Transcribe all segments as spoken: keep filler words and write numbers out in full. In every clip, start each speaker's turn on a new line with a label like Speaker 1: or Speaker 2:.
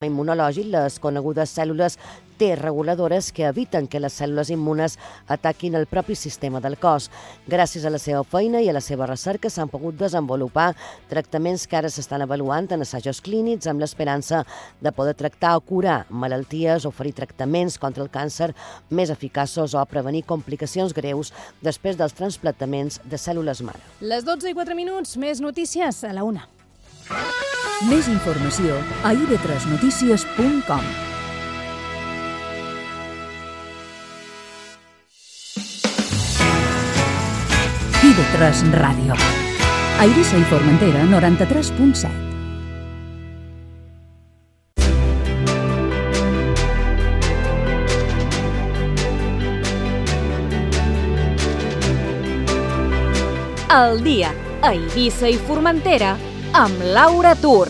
Speaker 1: immunològic, les conegudes cèl·lules T reguladores que eviten que les cèl·lules immunes ataquin el propi sistema del cos. Gràcies a la seva feina i a la seva recerca s'han pogut desenvolupar tractaments que ara s'estan avaluant en assajos clínics amb l'esperança de poder tractar o curar malalties, oferir tractaments contra el càncer més eficaços o prevenir complicacions greus després dels trasplantaments de cèl·lules mare.
Speaker 2: Les dotze i quatre minuts, més notícies a la una.
Speaker 3: Més informació a i ve tres notícies punt com. i ve tres Ràdio. A Eivissa i Formentera, noranta-tres punt set.
Speaker 4: El dia a Eivissa i Formentera amb Laura Tur.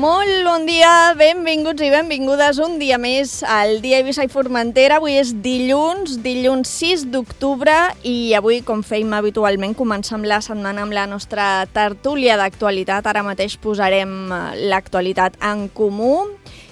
Speaker 2: Molt bon dia, benvinguts i benvingudes un dia més al dia a Eivissa i Formentera. Avui és dilluns, dilluns sis d'octubre i avui, com fèiem habitualment, comencem la setmana amb la nostra tertúlia d'actualitat. Ara mateix posarem l'actualitat en comú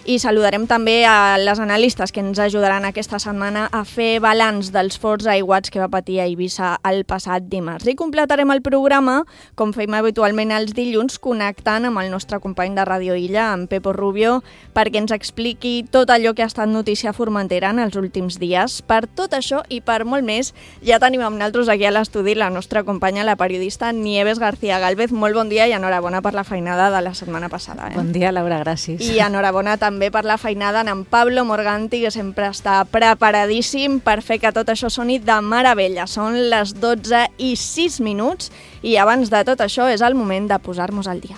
Speaker 2: i saludarem també a les analistes que ens ajudaran aquesta setmana a fer balanç dels forts aiguats que va patir a Eivissa el passat dimarts. I completarem el programa, com fèiem habitualment els dilluns, connectant amb el nostre company de Ràdio Illa, en Pepo Rubio, perquè ens expliqui tot allò que ha estat notícia a Formentera en els últims dies. Per tot això i per molt més, ja tenim amb nosaltres aquí a l'estudi la nostra companya, la periodista Nieves García Gálvez. Molt bon dia i enhorabona per la feinada de la setmana passada. Eh?
Speaker 5: Bon dia, Laura, gràcies.
Speaker 2: I enhorabona també per la feinada en Pablo Morganti, que sempre està preparadíssim per fer que tot això soni de meravella. Són les dotze i sis minuts i abans de tot això és el moment de posar-nos al dia.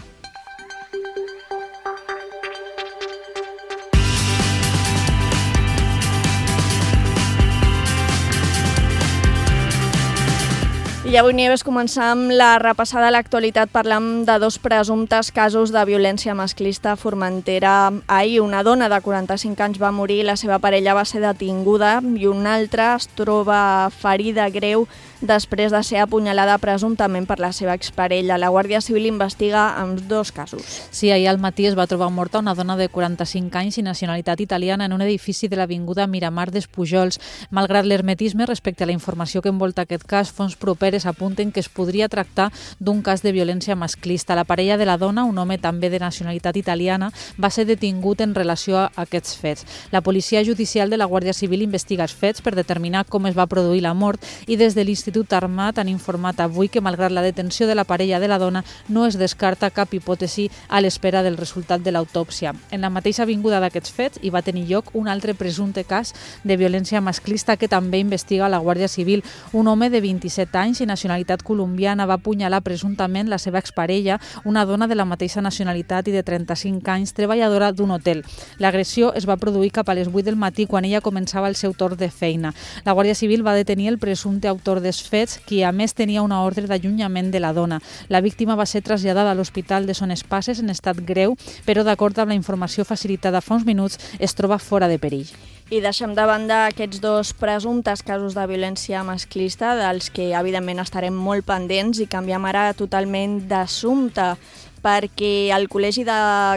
Speaker 2: I avui, Nieves, començam la repassada a l'actualitat parlant de dos presumptes casos de violència masclista a Formentera. Ahir una dona de quaranta-cinc anys va morir, la seva parella va ser detinguda i una altra es troba ferida greu després de ser apunyalada presumptament per la seva exparella. La Guàrdia Civil investiga amb dos casos.
Speaker 5: Sí, ahir al matí es va trobar morta una dona de quaranta-cinc anys i nacionalitat italiana en un edifici de l'avinguda Miramar dels Pujols. Malgrat l'hermetisme respecte a la informació que envolta aquest cas, fonts properes apunten que es podria tractar d'un cas de violència masclista. La parella de la dona, un home també de nacionalitat italiana, va ser detingut en relació a aquests fets. La policia judicial de la Guàrdia Civil investiga els fets per determinar com es va produir la mort i des de l'Institut Armat han informat avui que, malgrat la detenció de la parella de la dona, no es descarta cap hipòtesi a l'espera del resultat de l'autòpsia. En la mateixa avinguda d'aquests fets hi va tenir lloc un altre presumpte cas de violència masclista que també investiga la Guàrdia Civil. Un home de vint-i-set anys i nacionalitat colombiana va apunyalar presumptament la seva exparella, una dona de la mateixa nacionalitat i de trenta-cinc anys, treballadora d'un hotel. L'agressió es va produir cap a les vuit del matí quan ella començava el seu torn de feina. La Guàrdia Civil va detenir el presumpte autor dels fets, qui a més tenia una ordre d'allunyament de la dona. La víctima va ser traslladada a l'Hospital de Son Espases en estat greu, però d'acord amb la informació facilitada fa uns minuts es troba fora de perill.
Speaker 2: I deixem de banda aquests dos presumptes casos de violència masclista, dels que evidentment estarem molt pendents, i canviem ara totalment d'assumpte, perquè el Col·legi de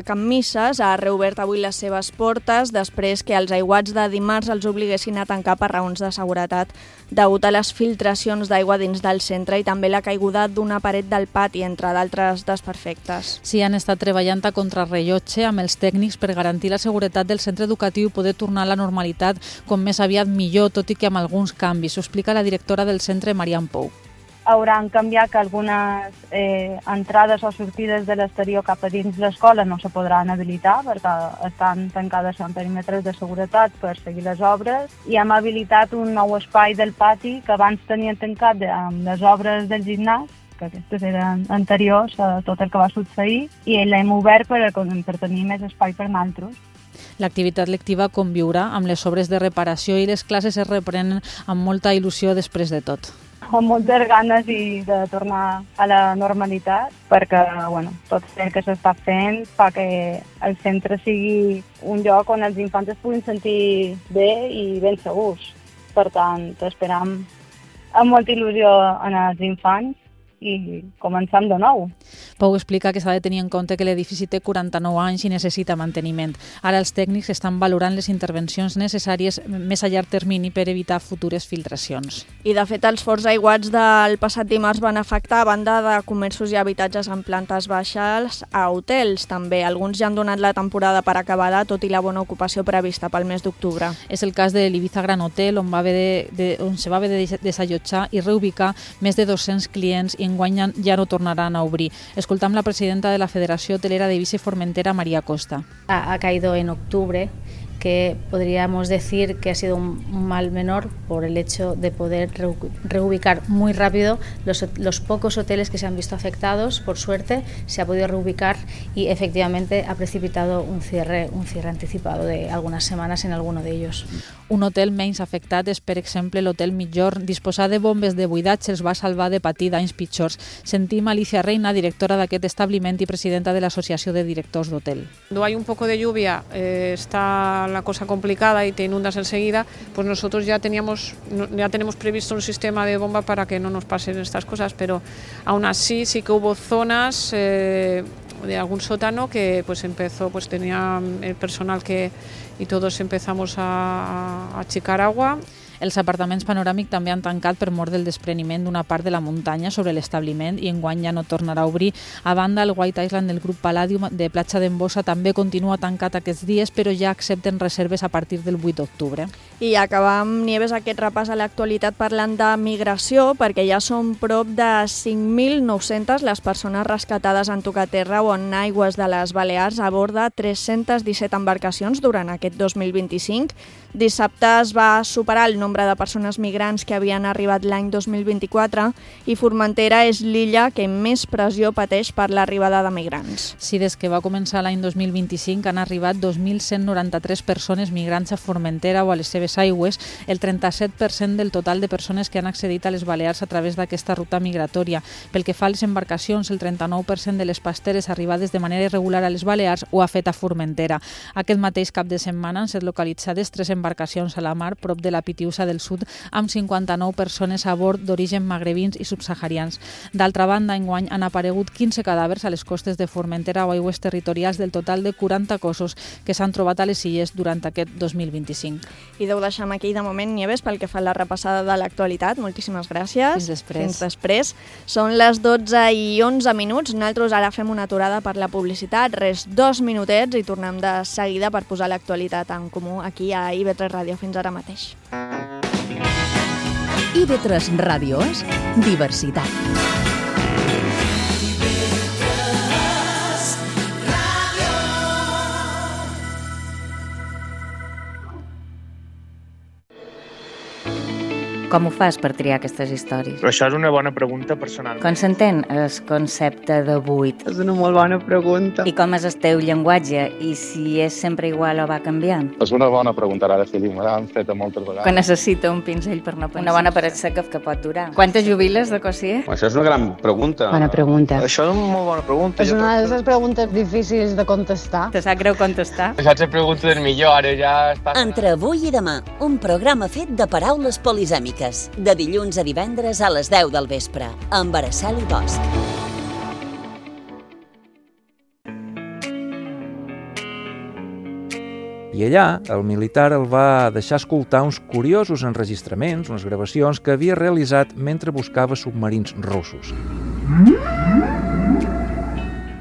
Speaker 2: Can Misses ha reobert avui les seves portes després que els aiguats de dimarts els obliguessin a tancar per raons de seguretat degut a les filtracions d'aigua dins del centre i també la caiguda d'una paret del pati, entre d'altres desperfectes.
Speaker 5: Sí, han estat treballant a contrarrellotge amb els tècnics per garantir la seguretat del centre educatiu i poder tornar a la normalitat com més aviat millor, tot i que amb alguns canvis. Ho explica la directora del centre, Marian Pou.
Speaker 6: Hauran canviat que algunes eh, entrades o sortides de l'exterior cap a dins l'escola no se podran habilitar perquè estan tancades en perímetres de seguretat per seguir les obres, i hem habilitat un nou espai del pati que abans tenien tancat de, amb les obres del gimnàs, que aquestes eren anteriors a tot el que va succeir, i l'hem obert per, per tenir més espai per nosaltres.
Speaker 5: L'activitat lectiva conviurà amb les obres de reparació i les classes es reprenen amb molta il·lusió després de tot.
Speaker 6: Amb moltes ganes i de tornar a la normalitat, perquè bueno, tot el que s'està fent fa que el centre sigui un lloc on els infants es puguin sentir bé i ben segurs. Per tant, esperam amb molta il·lusió en els infants i començam de nou.
Speaker 5: Pau explica que s'ha de tenir en compte que l'edifici té quaranta-nou anys i necessita manteniment. Ara els tècnics estan valorant les intervencions necessàries més a llarg termini per evitar futures filtracions.
Speaker 2: I de fet els forts aiguats del passat dimarts van afectar a banda de comerços i habitatges en plantes baixes a hotels també. Alguns ja han donat la temporada per acabada, tot i la bona ocupació prevista pel mes d'octubre.
Speaker 5: És el cas de l'Ibiza Gran Hotel, on, va haver de, de, on se va haver de desallotjar i reubicar més de dos-cents clients i enguany ja no tornaran a obrir. Escoltam la presidenta de la Federació Hotelera de Eivissa y Formentera, María Costa.
Speaker 7: Ha, ha caído en octubre, que podríamos decir que ha sido un mal menor por el hecho de poder reubicar muy rápido los, los pocos hoteles que se han visto afectados. Por suerte se ha podido reubicar y efectivamente ha precipitado un cierre, un cierre anticipado de algunas semanas en alguno de ellos.
Speaker 5: Un hotel menys afectat és, per exemple, l'Hotel Migjorn. Disposar de bombes de buidatge els va salvar de patir danys pitjors. Sentim Alicia Reina, directora d'aquest establiment i presidenta de l'Associació de Directors d'Hotel.
Speaker 8: Cuando hay un poco de lluvia, eh, está la cosa complicada y te inundas enseguida, pues nosotros ya teníamos, ya tenemos previsto un sistema de bomba para que no nos pasen estas cosas, pero aún así sí que hubo zonas eh, de algún sótano que pues empezó, pues tenía el personal que y todos empezamos a, a achicar agua.
Speaker 5: Els apartaments panoràmic també han tancat per mort del despreniment d'una part de la muntanya sobre l'establiment i enguany ja no tornarà a obrir. A banda, el White Island del grup Palladium de Platja d'Embossa també continua tancat aquests dies, però ja accepten reserves a partir del vuit d'octubre.
Speaker 2: I acabam, Nieves, aquest repàs a l'actualitat parlant de migració, perquè ja són prop de cinc mil nou-centes les persones rescatades en tocaterra o en aigües de les Balears a bord de tres-centes disset embarcacions durant aquest dos mil vint-i-cinc. Dissabte es va superar el nombre de persones migrants que havien arribat l'any dos mil vint-i-quatre i Formentera és l'illa que més pressió pateix per l'arribada de migrants.
Speaker 5: Sí, des que va començar l'any dos mil vint-i-cinc han arribat dos mil cent noranta-tres persones migrants a Formentera o a les seves aigües, el trenta-set per cent del total de persones que han accedit a les Balears a través d'aquesta ruta migratòria. Pel que fa a les embarcacions, el trenta-nou per cent de les pasteres arribades de manera irregular a les Balears ho ha fet a Formentera. Aquest mateix cap de setmana han estat localitzades tres embarcacions a la mar prop de la Pitiusa del Sud amb cinquanta-nou persones a bord d'origen magrebins i subsaharians. D'altra banda, enguany han aparegut quinze cadàvers a les costes de Formentera o aigües territorials del total de quaranta cossos que s'han trobat a les illes durant aquest dos mil vint-i-cinc.
Speaker 2: I deu deixar aquí de moment, Nieves, pel que fa a la repassada de l'actualitat. Moltíssimes gràcies.
Speaker 5: Fins després.
Speaker 2: Fins després. Són les dotze i onze minuts. Nosaltres ara fem una aturada per la publicitat. Res, dos minutets i tornem de seguida per posar l'actualitat en comú aquí a I V tres Ràdio. Fins ara mateix.
Speaker 3: I V tres Ràdio és diversitat.
Speaker 9: Com ho fas per triar aquestes històries?
Speaker 10: Però això és una bona pregunta personal.
Speaker 9: Com s'entén el concepte de buit?
Speaker 11: És una molt bona pregunta.
Speaker 9: I com és el teu llenguatge? I si és sempre igual o va canviant?
Speaker 12: És una bona pregunta, ara sí, me l'han fet moltes vegades.
Speaker 9: Quan necessita un pinzell per no pensar. Una bona paret seca que pot durar. Quantes jubiles de cosier?
Speaker 12: Això és una gran pregunta.
Speaker 11: Bona pregunta.
Speaker 10: Això és una molt bona pregunta.
Speaker 11: És una de les preguntes difícils de contestar.
Speaker 9: Te sap greu contestar?
Speaker 10: Això és la pregunta del millor, ara ja està...
Speaker 13: Entre avui i demà, un programa fet de paraules polisèmiques. De dilluns a divendres a les deu del vespre, amb Araceli Bosch.
Speaker 14: I allà, el militar el va deixar escoltar uns curiosos enregistraments, unes gravacions que havia realitzat mentre buscava submarins russos.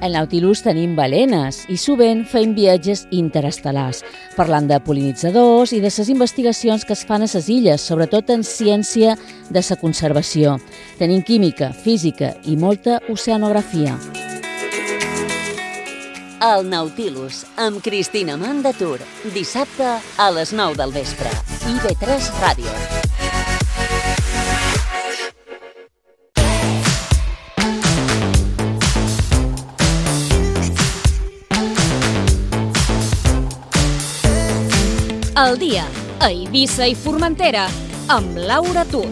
Speaker 15: Al Nautilus tenim balenes i sovint fem viatges interestel·lars, parlant de pol·linitzadors i de les investigacions que es fan a les illes, sobretot en ciència de la conservació. Tenim química, física i molta oceanografia.
Speaker 13: El Nautilus, amb Cristina Mandatur, dissabte a les nou del vespre. I V tres Ràdio.
Speaker 4: El dia a Eivissa i Formentera amb Laura Tur.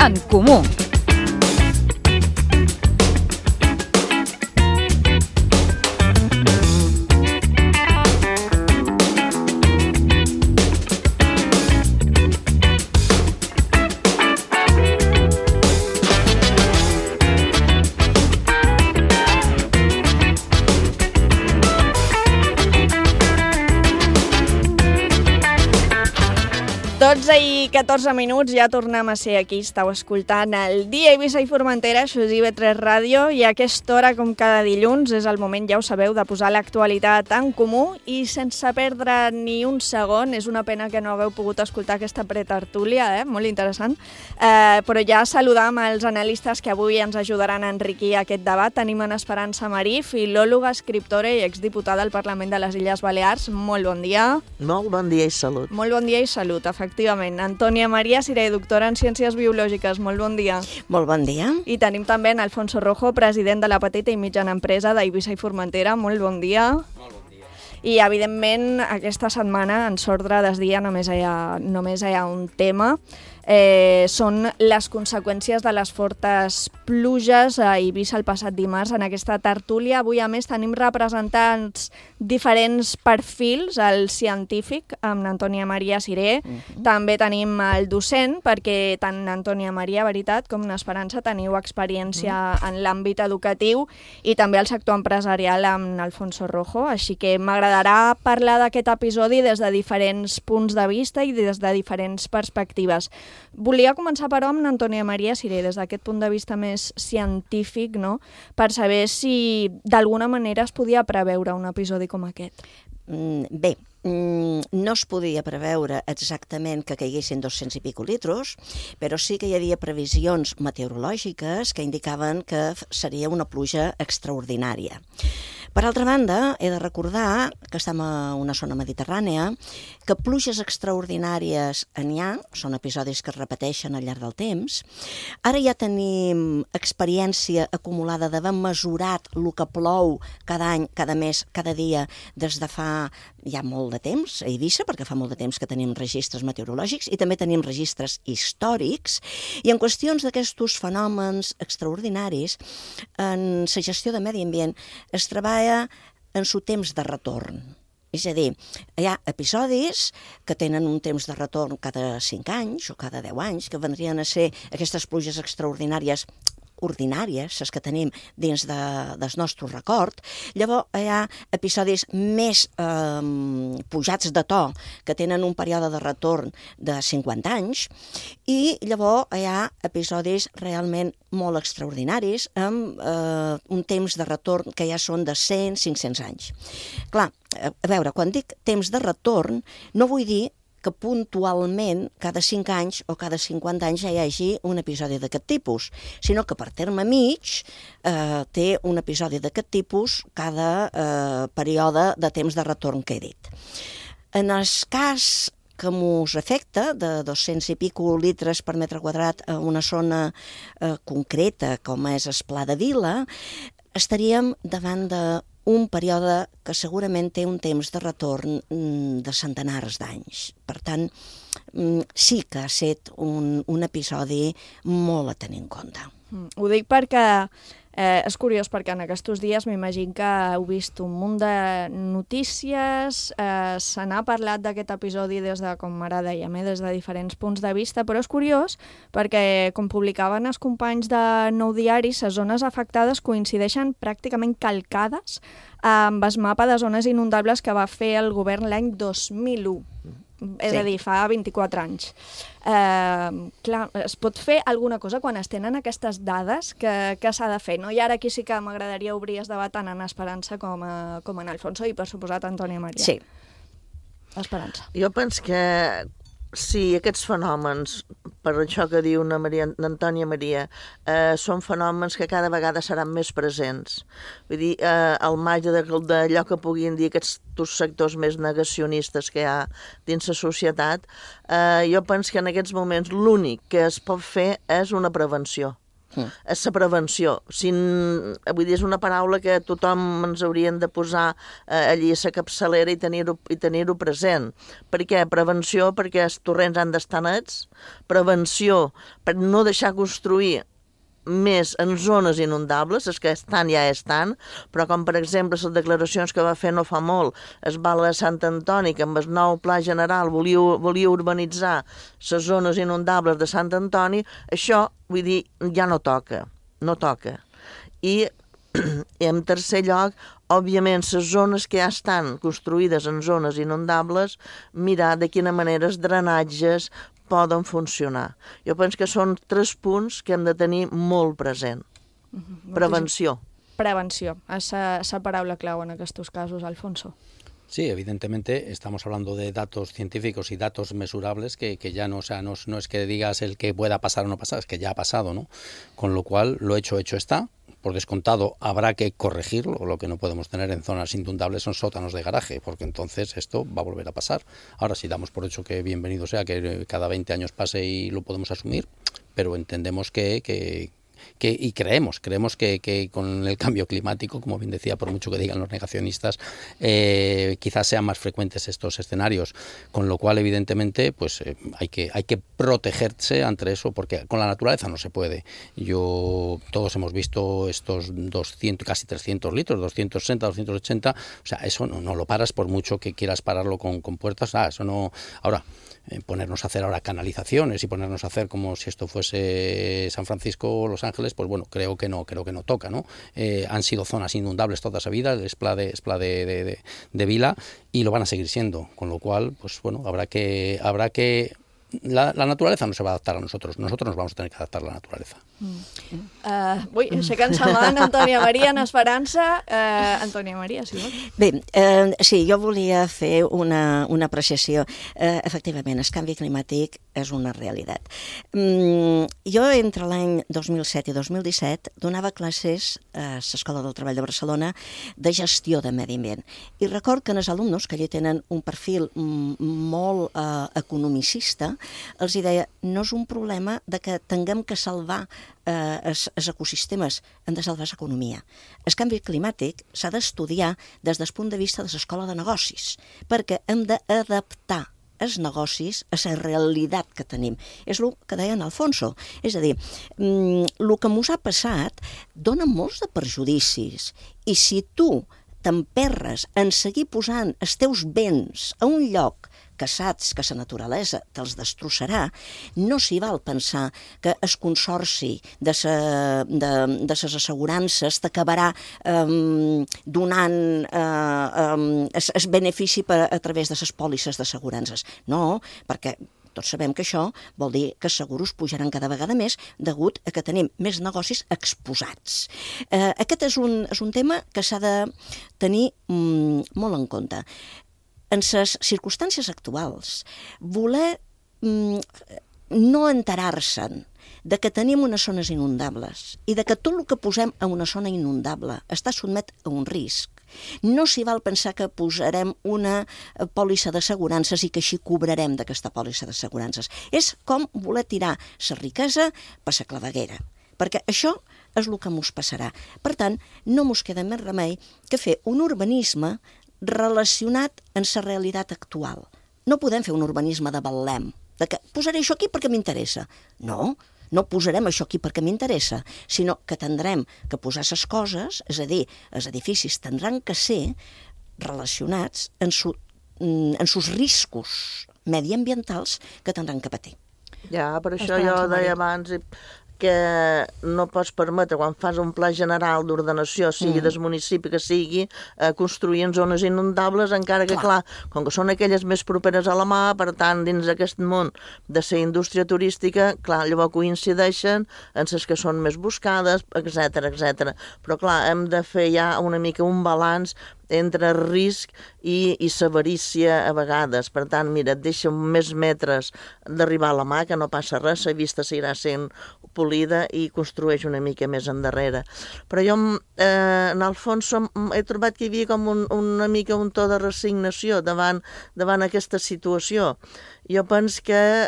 Speaker 4: En comú.
Speaker 2: dotze i catorze minuts, ja tornem a ser aquí. Estàu escoltant el Dia Eivissa i Formentera, això és I V tres Ràdio, i a aquesta hora, com cada dilluns, és el moment, ja ho sabeu, de posar l'actualitat en comú i sense perdre ni un segon. És una pena que no hagueu pogut escoltar aquesta pretertúlia, eh? Molt interessant. Eh, però ja saludam els analistes que avui ens ajudaran a enriquir aquest debat. Tenim en Esperança Marí, filòloga, escriptora i exdiputada al Parlament de les Illes Balears. Molt bon dia.
Speaker 16: Molt bon dia i salut.
Speaker 2: Molt bon dia i salut, efectivament. Antònia Maria Siré, doctora en Ciències Biològiques. Molt bon dia.
Speaker 17: Molt bon dia.
Speaker 2: I tenim també en Alfonso Rojo, president de la petita i mitjana empresa d'Eivissa i Formentera. Molt bon dia. Molt bon dia. I, evidentment, aquesta setmana, en s'ordre des dia, només hi ha, només hi ha un tema. Eh, són les conseqüències de les fortes pluges a Eivissa el passat dimarts. En aquesta tertúlia avui, a més, tenim representants diferents perfils, el científic, amb Antònia Maria Siré, uh-huh. També tenim el docent, perquè tant Antònia Maria, veritat, com Esperança teniu experiència uh-huh. en l'àmbit educatiu, i també el sector empresarial amb Alfonso Rojo, així que m'agradarà parlar d'aquest episodi des de diferents punts de vista i des de diferents perspectives. Volia començar, però, amb Antònia Maria Siré, des d'aquest punt de vista més científic, no?, per saber si d'alguna manera es podia preveure un episodi com aquest.
Speaker 17: Bé, no es podia preveure exactament que caiguessin dos-cents i pico litros, però sí que hi havia previsions meteorològiques que indicaven que seria una pluja extraordinària. Per altra banda, he de recordar que estem a una zona mediterrània, que pluges extraordinàries n'hi ha, són episodis que es repeteixen al llarg del temps. Ara ja tenim experiència acumulada d'haver mesurat el que plou cada any, cada mes, cada dia, des de fa ja molt de temps a Eivissa, perquè fa molt de temps que tenim registres meteorològics i també tenim registres històrics, i en qüestions d'aquests fenòmens extraordinaris, en la gestió de medi ambient es treballa en su temps de retorn. És a dir, hi ha episodis que tenen un temps de retorn cada cinc anys o cada deu anys, que vendrien a ser aquestes pluges extraordinàries ordinàries, les que tenim dins de, del nostre record. Llavors hi ha episodis més eh, pujats de to, que tenen un període de retorn de cinquanta anys, i llavors hi ha episodis realment molt extraordinaris, amb eh, un temps de retorn que ja són de cent a cinc-cents anys. Clar, a veure, quan dic temps de retorn, no vull dir que puntualment cada cinc anys o cada cinquanta anys ja hi hagi un episodi d'aquest tipus, sinó que per terme mig eh, té un episodi d'aquest tipus cada eh, període de temps de retorn que he dit. En el cas que mos afecta, de dos-cents i pico litres per metre quadrat a una zona eh, concreta, com és el Pla de Vila, estaríem davant de un període que segurament té un temps de retorn de centenars d'anys. Per tant, sí que ha estat un, un episodi molt a tenir en compte.
Speaker 2: Ho dic perquè eh, és curiós, perquè en aquests dies m'imagino que heu vist un munt de notícies, eh, se n'ha parlat d'aquest episodi des de, com ara dèiem, eh, des de diferents punts de vista, però és curiós perquè, com publicaven els companys de Nou Diari, les zones afectades coincideixen pràcticament calcades amb el mapa de zones inundables que va fer el govern l'any dos mil u. És sí. A dir, fa vint-i-quatre anys. Eh, clar, es pot fer alguna cosa quan es tenen aquestes dades que, que s'ha de fer, no? I ara aquí sí que m'agradaria obrir el debat tant en Esperança com, a, com en Alfonso i, per suposat, Antònia Maria.
Speaker 17: Sí.
Speaker 2: Esperança.
Speaker 16: Jo penso que sí, aquests fenòmens, per això que diu una Maria, Antònia Maria, eh, són fenòmens que cada vegada seran més presents. Vull dir, eh, al marge d'allò que puguin dir aquests sectors més negacionistes que hi ha dins la societat, eh, jo penso que en aquests moments l'únic que es pot fer és una prevenció. Mm. És la prevenció. Si, vull dir, és una paraula que tothom ens haurien de posar eh, allí a la capçalera i tenir-ho i tenir-ho present. Per què? Prevenció perquè els torrents han d'estar nets, prevenció per no deixar construir més en zones inundables, les que estan ja estan, però com per exemple les declaracions que va fer no fa molt es Val de Sant Antoni, que amb el nou pla general volia, volia urbanitzar les zones inundables de Sant Antoni, això, vull dir, ja no toca, no toca. I I en tercer lloc, òbviament, les zones que ja estan construïdes en zones inundables, mirar de quina manera els drenatges poden funcionar. Jo penso que són tres punts que hem de tenir molt present. Prevenció.
Speaker 2: Prevenció, esa, esa paraula clau en aquests casos, Alfonso.
Speaker 18: Sí, evidentemente estamos hablando de datos científicos y datos mesurables que, que ya no, o sea, no, no es que digas el que pueda pasar o no pasar, es que ya ha pasado, ¿no? Con lo cual, lo hecho, hecho está. Por descontado, habrá que corregirlo. Lo que no podemos tener en zonas inundables son sótanos de garaje, porque entonces esto va a volver a pasar. Ahora sí damos por hecho que bienvenido sea, que cada veinte años pase y lo podemos asumir, pero entendemos que... que Que, y creemos, creemos que, que con el cambio climático, como bien decía, por mucho que digan los negacionistas, eh, quizás sean más frecuentes estos escenarios, con lo cual evidentemente pues eh, hay que hay que protegerse ante eso, porque con la naturaleza no se puede. Yo todos hemos visto estos doscientos, casi trescientos litros, doscientos sesenta, doscientos ochenta, o sea, eso no, no lo paras por mucho que quieras pararlo con, con puertas, ah, eso no. Ahora, eh, ponernos a hacer ahora canalizaciones y ponernos a hacer como si esto fuese San Francisco o Los Ángeles, pues bueno, creo que no, creo que no toca, ¿no? Eh, han sido zonas inundables toda esa vida, el Esplà de, Esplà de, de, de, de Vila, y lo van a seguir siendo, con lo cual, pues bueno, habrá que, habrá que La, la naturaleza no se va a adaptar a nosotros, nosotros nos vamos a tener que adaptar a la naturaleza.
Speaker 2: Mm. Uh, ui, aixecant-se la mà, Antònia Maria, en Esperança. Uh, Antònia Maria, si vols.
Speaker 17: Bé, eh, sí, jo volia fer una, una apreciació. Eh, efectivament, el canvi climàtic és una realitat. Mm, jo, entre l'any dos mil set i dos mil disset, donava classes a l'Escola del Treball de Barcelona de gestió de medi ambient. I record que els alumnes, que allà tenen un perfil molt eh, economicista, els deia, no és un problema de que tinguem que salvar eh, els, els ecosistemes, hem de salvar l'economia. El canvi climàtic s'ha d'estudiar des del punt de vista de l'escola de negocis, perquè hem d'adaptar els negocis a la realitat que tenim. És el que deia en Alfonso. És a dir, el que ens ha passat dona molts de perjudicis, i si tu t'emperres en seguir posant els teus béns a un lloc que saps que la naturalesa te'ls destrossarà, no s'hi val pensar que el consorci de, sa, de, de les assegurances t'acabarà eh, donant eh, eh, el benefici per, a través de les pòlisses d'assegurances. No, perquè tots sabem que això vol dir que els seguros pujaran cada vegada més degut a que tenim més negocis exposats. Eh, aquest és un, és un tema que s'ha de tenir mm, molt en compte. En les circumstàncies actuals, voler mm, no enterar-se'n de que tenim unes zones inundables i de que tot el que posem a una zona inundable està sotmet a un risc, no s'hi val pensar que posarem una pòlissa d'assegurances i que així cobrarem d'aquesta pòlissa d'assegurances. És com voler tirar la riquesa per la claveguera, perquè això és el que ens passarà. Per tant, no ens queda més remei que fer un urbanisme relacionat amb la realitat actual. No podem fer un urbanisme de Betlem, de que posaré això aquí perquè m'interessa. No, no posarem això aquí perquè m'interessa, sinó que tindrem que posar les coses, és a dir, els edificis tindran que ser relacionats amb su, els riscos mediambientals que tindran que patir.
Speaker 16: Ja, per això jo deia abans que no pots permetre, quan fas un pla general d'ordenació, sigui mm. del municipi que sigui, eh, construir en zones inundables, encara que, clar. clar, com que són aquelles més properes a la mà, per tant, dins d'aquest món de la indústria turística, clar, llavors coincideixen en les que són més buscades, etcètera, etcètera. Però, clar, hem de fer ja una mica un balanç entre risc i, i severícia a vegades. Per tant, mira, et deixa més metres d'arribar a la mà, que no passa res, la vista seguirà sent polida i construeix una mica més endarrere. Però jo, eh, en el fons, som, he trobat que hi havia com un, una mica un to de resignació davant, davant aquesta situació. Jo penso que,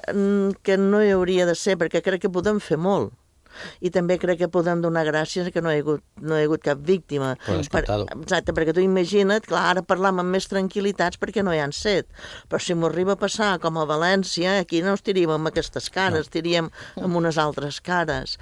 Speaker 16: que no hi hauria de ser, perquè crec que podem fer molt. I també crec que podem donar gràcies que no hi ha hagut, no hi ha hagut cap víctima. Per, exacte, perquè tu imagina't, clar, ara parlam amb més tranquil·litats perquè no hi han set, però si m'ho arriba a passar com a València, aquí no estiríem amb aquestes cares, no. Estiríem amb unes altres cares.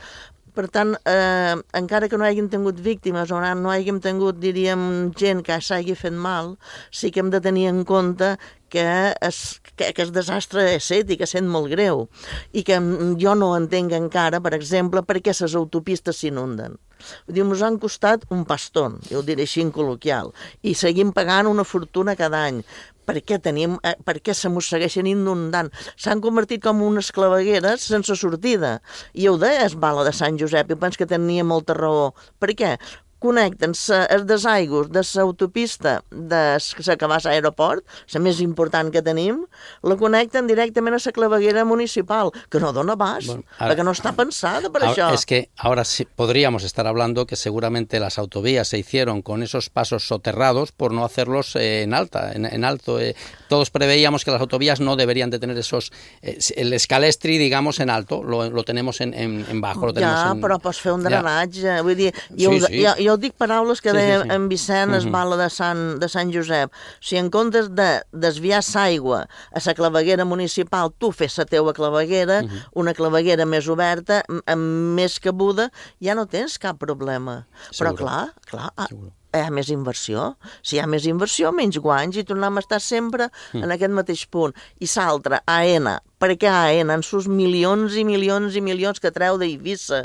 Speaker 16: Per tant, eh, encara que no hàgim tingut víctimes o no hàgim tingut, diríem, gent que s'hagi fet mal, sí que hem de tenir en compte que es, que, que el desastre és set i que sent molt greu i que jo no entenc encara, per exemple, per què les autopistes s'inunden. Vull dir, ens han costat un pastón, jo ho diré així en col·loquial, i seguim pagant una fortuna cada any. Per què, tenim, eh, per què se mos segueixen inundant? S'han convertit com unes clavegueres sense sortida. I ho deia Esbala de Sant Josep, i penso que tenia molta raó. Per què? Connecten els desaigües de l'autopista de la que va a l'aeroport, la més important que tenim, la connecten directament a la claveguera municipal, que no dona abast, bueno, ara, perquè no està pensada per
Speaker 18: ahora,
Speaker 16: això.
Speaker 18: Es que ahora sí podríamos estar hablando que seguramente las autovías se hicieron con esos pasos soterrados por no hacerlos eh, en alta, en, en alto. Eh. Todos preveíamos que las autovías no deberían de tener esos, eh, el escalestri, digamos, en alto, lo, lo tenemos en, en, en bajo. Lo tenemos
Speaker 16: ja,
Speaker 18: en...
Speaker 16: però pots fer un drenatge, ja. Vull dir, jo, sí, sí. jo, jo dic paraules que sí, deia sí, sí. en Vicent Esbala de Sant, de Sant Josep. O sigui, en comptes de desviar l'aigua a la claveguera municipal, tu fes la teua claveguera, uh -huh. una claveguera més oberta, amb més cabuda, ja no tens cap problema. Seguro. Però clar, clar, Seguro. hi ha més inversió. Si hi ha més inversió, menys guanys, i tornem a estar sempre mm. en aquest mateix punt. I l'altre, AENA. Per què AENA? En sus milions i milions i milions que treu d'Eivissa.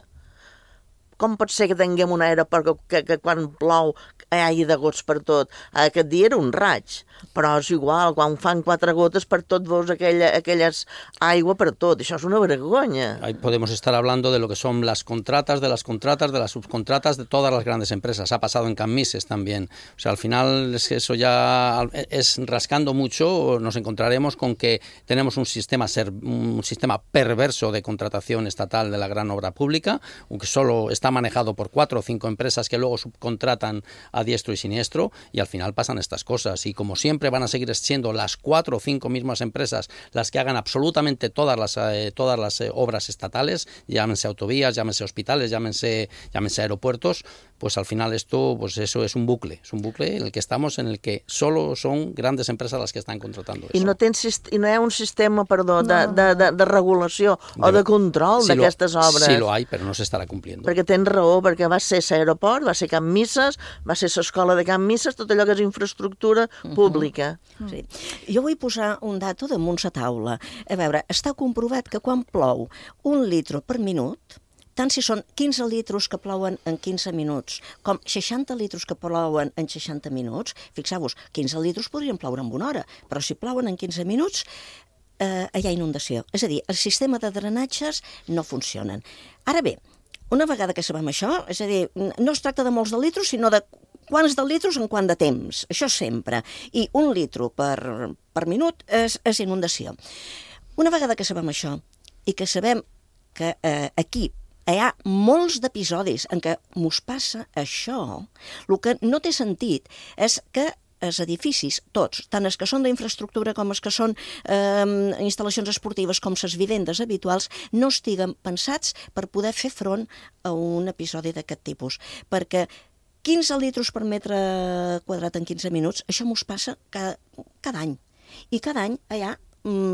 Speaker 16: Com pot ser que tinguem un aeroport que, que, que quan plou hi hagi de gots per tot? Aquest dia era un raig, però és igual, quan fan quatre gotes per tot veus aquella, aquelles aigua per tot. Això és una vergonya.
Speaker 18: Ahí podemos estar hablando de lo que son las contratas, de las contratas, de las subcontratas de todas las grandes empresas. Ha pasado en Cammises también. O sea, al final es que eso ya es rascando mucho, nos encontraremos con que tenemos un sistema, un sistema perverso de contratación estatal de la gran obra pública, aunque solo está manejado por cuatro o cinco empresas que luego subcontratan a diestro y siniestro, y al final pasan estas cosas. Y como siempre van a seguir siendo las cuatro o cinco mismas empresas las que hagan absolutamente todas las, eh, todas las eh, obras estatales, llámense autovías, llámense hospitales, llámense, llámense aeropuertos, pues al final esto, pues eso es un bucle, es un bucle en el que estamos, en el que solo son grandes empresas las que están contratando eso.
Speaker 16: I no, tens, i no hi ha un sistema, perdó, de, no. de, de, de regulació o de, de control sí d'aquestes obres.
Speaker 18: Sí lo hay, pero no se estará cumpliendo.
Speaker 16: Perquè tens raó, perquè va ser l'aeroport, va ser Cammises, va ser l'escola de Cammises, tot allò que és infraestructura pública.
Speaker 17: Uh -huh. Sí. Jo vull posar un dato damunt la taula. A veure, està comprovat que quan plou un litre per minut, tant si són quinze litres que plouen en quinze minuts, com seixanta litres que plouen en seixanta minuts, fixeu-vos, quinze litres podrien ploure en una hora, però si plouen en quinze minuts, eh, hi ha inundació. És a dir, el sistema de drenatges no funcionen. Ara bé, una vegada que sabem això, és a dir, no es tracta de molts de litres, sinó de quants de litres en quant de temps. Això sempre. I un litre per, per minut és, és inundació. Una vegada que sabem això, i que sabem que eh, aquí hi ha molts d'episodis en què mos passa això, el que no té sentit és que els edificis, tots, tant els que són d'infraestructura com els que són eh, instal·lacions esportives com les vivendes habituals, no estiguen pensats per poder fer front a un episodi d'aquest tipus. Perquè quinze litres per metre quadrat en quinze minuts, això mos passa cada, cada any. I cada any hi ha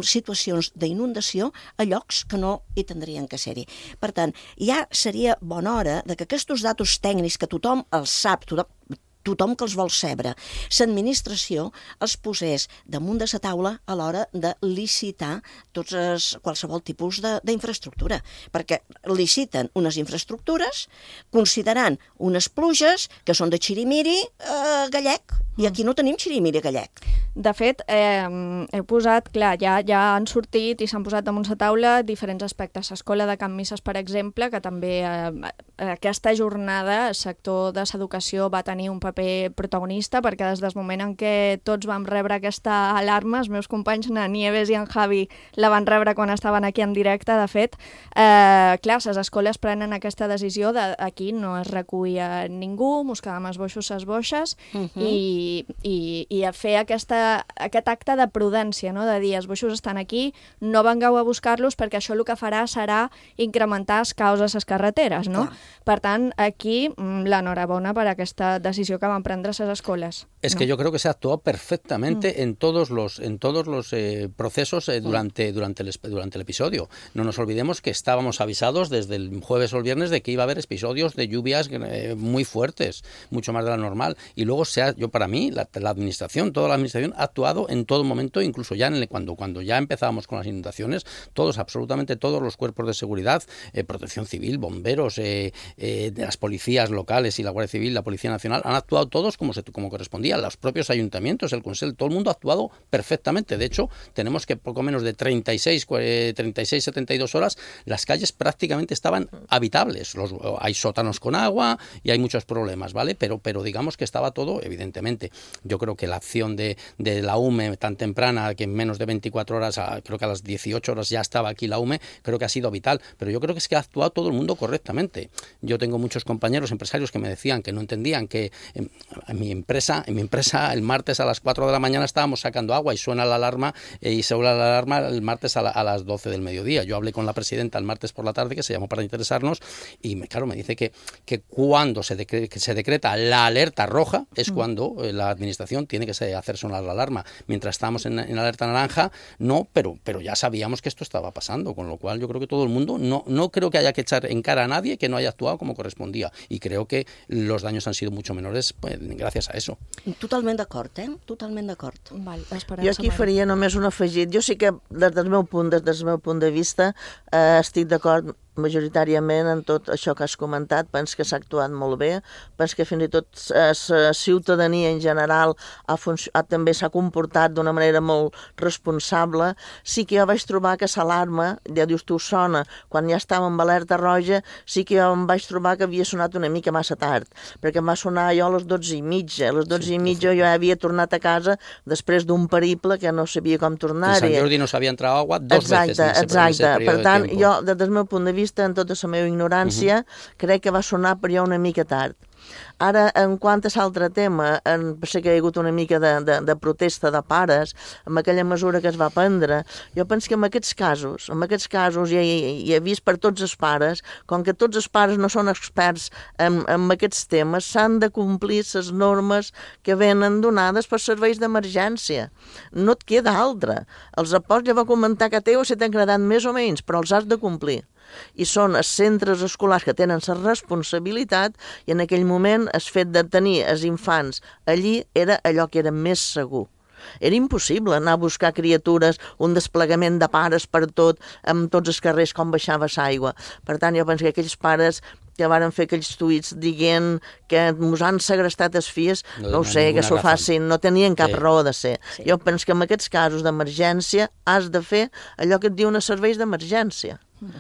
Speaker 17: situacions d'inundació a llocs que no hi tindrien que ser-hi. Per tant, ja seria bona hora de que aquests datos tècnics que tothom els sap, tothom, tothom que els vol saber, l'administració els posés damunt de la taula a l'hora de licitar tots els, qualsevol tipus d'infraestructura, perquè liciten unes infraestructures considerant unes pluges que són de xirimiri eh, gallec, i aquí no tenim xirimiri gallec.
Speaker 2: De fet, eh, he posat, clar, ja, ja han sortit i s'han posat damunt la taula diferents aspectes. L'escola de Cammises, per exemple, que també eh, aquesta jornada el sector de l'educació va tenir un paper protagonista, perquè des del moment en què tots vam rebre aquesta alarma, els meus companys, na Nieves i en Javi, la van rebre quan estaven aquí en directe, de fet, eh, clar, les escoles prenen aquesta decisió de aquí no es recull ningú, mos quedam els boixos, les boixes, uh -huh. i, i, i a fer aquesta, aquest acte de prudència, no? De dir, els boixos estan aquí, no vengueu a buscar-los perquè això el que farà serà incrementar els caos a les carreteres, no? Clar. Per tant, aquí, l'enhorabona per aquesta decisió que que van prendre les escoles.
Speaker 18: Es
Speaker 2: no?
Speaker 18: que yo creo que se actuó perfectamente mm. en todos los, en todos los eh, procesos eh, durante, durante, el, durante el episodio. No nos olvidemos que estábamos avisados desde el jueves o el viernes de que iba a haber episodios de lluvias eh, muy fuertes, mucho más de la normal. Y luego, se ha, yo para mí, la, la administración, toda la administración ha actuado en todo momento, incluso ya en el, cuando, cuando ya empezábamos con las inundaciones, todos, absolutamente todos los cuerpos de seguridad, eh, protección civil, bomberos, eh, eh, de las policías locales y la Guardia Civil, la Policía Nacional, han actuado todos como, se, como correspondía. Los propios ayuntamientos, el Consell, todo el mundo ha actuado perfectamente. De hecho, tenemos que poco menos de treinta y seis, setenta y dos horas, las calles prácticamente estaban habitables. Los, hay sótanos con agua y hay muchos problemas, ¿vale? Pero, pero digamos que estaba todo, evidentemente. Yo creo que la acción de, de la U M E tan temprana, que en menos de veinticuatro horas, a, creo que a las dieciocho horas ya estaba aquí la U M E, creo que ha sido vital. Pero yo creo que es que ha actuado todo el mundo correctamente. Yo tengo muchos compañeros empresarios que me decían que no entendían que en, en mi empresa, en mi empresa el martes a las cuatro de la mañana estábamos sacando agua y suena la alarma eh, y se suena la alarma el martes a, la, a las doce del mediodía. Yo hablé con la presidenta el martes por la tarde, que se llamó para interesarnos, y me, claro, me dice que, que cuando se, decre, que se decreta la alerta roja es mm. cuando eh, la administración tiene que se, hacer sonar la alarma. Mientras estábamos en, en alerta naranja, no, pero, pero ya sabíamos que esto estaba pasando, con lo cual yo creo que todo el mundo, no, no creo que haya que echar en cara a nadie que no haya actuado como correspondía, y creo que los daños han sido mucho menores pues, gràcies a eso.
Speaker 17: Totalment d'acord, eh? Totalment d'acord.
Speaker 6: Jo aquí faria només un afegit. Jo sí que, des del meu punt, des del meu punt de vista, eh, estic d'acord majoritàriament en tot això que has comentat. Penso que s'ha actuat molt bé, penso que fins i tot la ciutadania en general ha ha, també s'ha comportat d'una manera molt responsable. Sí que jo vaig trobar que l'alarma, ja dius tu, sona quan ja estàvem amb alerta roja, sí que jo em vaig trobar que havia sonat una mica massa tard, perquè em va sonar jo a les dotze i mitja. A les dotze i mitja jo ja havia tornat a casa després d'un periple que no sabia com tornar-hi.
Speaker 18: En Sant Jordi no s'havia entrat agua dos
Speaker 6: exacte,
Speaker 18: veces.
Speaker 6: Exacte, per tant, jo, des del meu punt de vista, en tota la meva ignorància, uh-huh. crec que va sonar per jo una mica tard. Ara, en quant a l'altre tema, en, sé que hi ha hagut una mica de, de, de protesta de pares amb aquella mesura que es va prendre. Jo penso que en aquests casos, en aquests casos, i he, he vist per tots els pares, com que tots els pares no són experts en, en aquests temes, s'han de complir les normes que venen donades per serveis d'emergència. No et queda altra. Els aports ja va comentar que teu si t'han agradat més o menys, però els has de complir. I són els centres escolars que tenen la responsabilitat, i en aquell moment el fet de tenir els infants allí era allò que era més segur. Era impossible anar a buscar criatures, un desplegament de pares per tot, amb tots els carrers com baixava l'aigua. Per tant, jo penso que aquells pares que varen fer aquells tuits dient que ens han segrestat els fills, no, no ho sé, que s'ho facin, no tenien cap sí. raó de ser. Sí. Jo penso que en aquests casos d'emergència has de fer allò que et diuen els serveis d'emergència.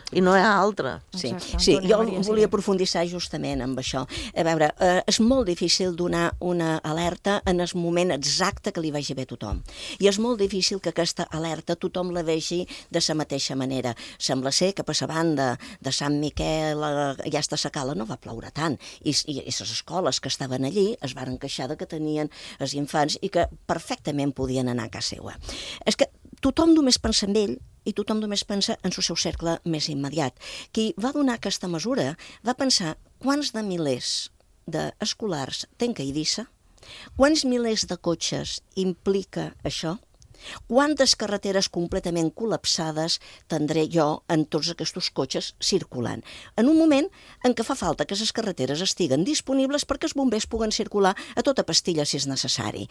Speaker 6: I no hi ha altra.
Speaker 17: Sí, sí, jo volia aprofundissar justament amb això. A veure, eh, és molt difícil donar una alerta en el moment exacte que li vagi bé a tothom. I és molt difícil que aquesta alerta tothom la vegi de la mateixa manera. Sembla ser que per la banda de Sant Miquel, eh, ja està la cala, no va ploure tant. I, i, i les escoles que estaven allí es varen queixar de que tenien els infants i que perfectament podien anar a casa seva. És que tothom només pensa en ell i tothom només pensa en el seu cercle més immediat. Qui va donar aquesta mesura va pensar quants de milers d'escolars tenc a Eivissa, quants milers de cotxes implica això, quantes carreteres completament col·lapsades tindré jo en tots aquests cotxes circulant. En un moment en què fa falta que les carreteres estiguen disponibles perquè els bombers puguen circular a tota pastilla si és necessari.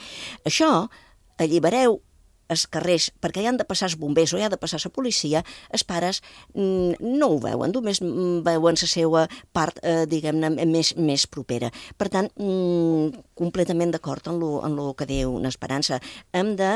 Speaker 17: Això, allibereu els carrers, perquè hi han de passar els bombers o hi ha de passar la policia, els pares mm, no ho veuen, només veuen la seva part, eh, diguem-ne, més, més propera. Per tant, mm, completament d'acord en lo, en lo que diu l'Esperança. Hem de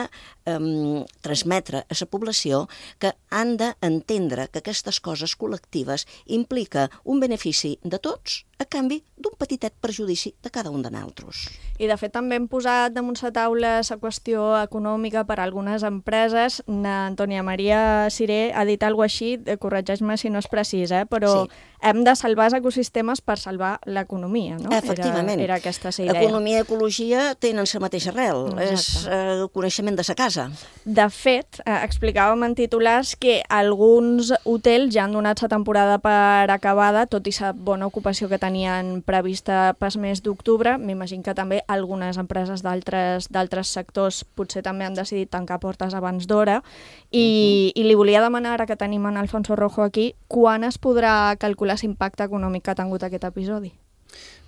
Speaker 17: eh, transmetre a la població que han d'entendre que aquestes coses col·lectives implica un benefici de tots a canvi d'un petitet perjudici de cada un de nosaltres.
Speaker 2: I de fet també hem posat damunt la taula la qüestió econòmica per a alguns algunes empreses. Antònia Maria Siré ha dit alguna cosa així, corregeix-me si no és precís, eh? però sí. hem de salvar els ecosistemes per salvar l'economia, no?
Speaker 17: Efectivament.
Speaker 2: Era, era aquesta la idea.
Speaker 17: Economia i ecologia tenen la mateixa arrel, Exacte. és eh, el coneixement de sa casa.
Speaker 2: De fet, eh, explicàvem en titulars que alguns hotels ja han donat la temporada per acabada, tot i la bona ocupació que tenien prevista pel mes d'octubre. M'imagino que també algunes empreses d'altres d'altres sectors potser també han decidit tancar portes abans d'hora. I, uh-huh. I li volia demanar, ara que tenim en Alfonso Rojo aquí, quan es podrà calcular l'impacte econòmic que ha tingut aquest episodi?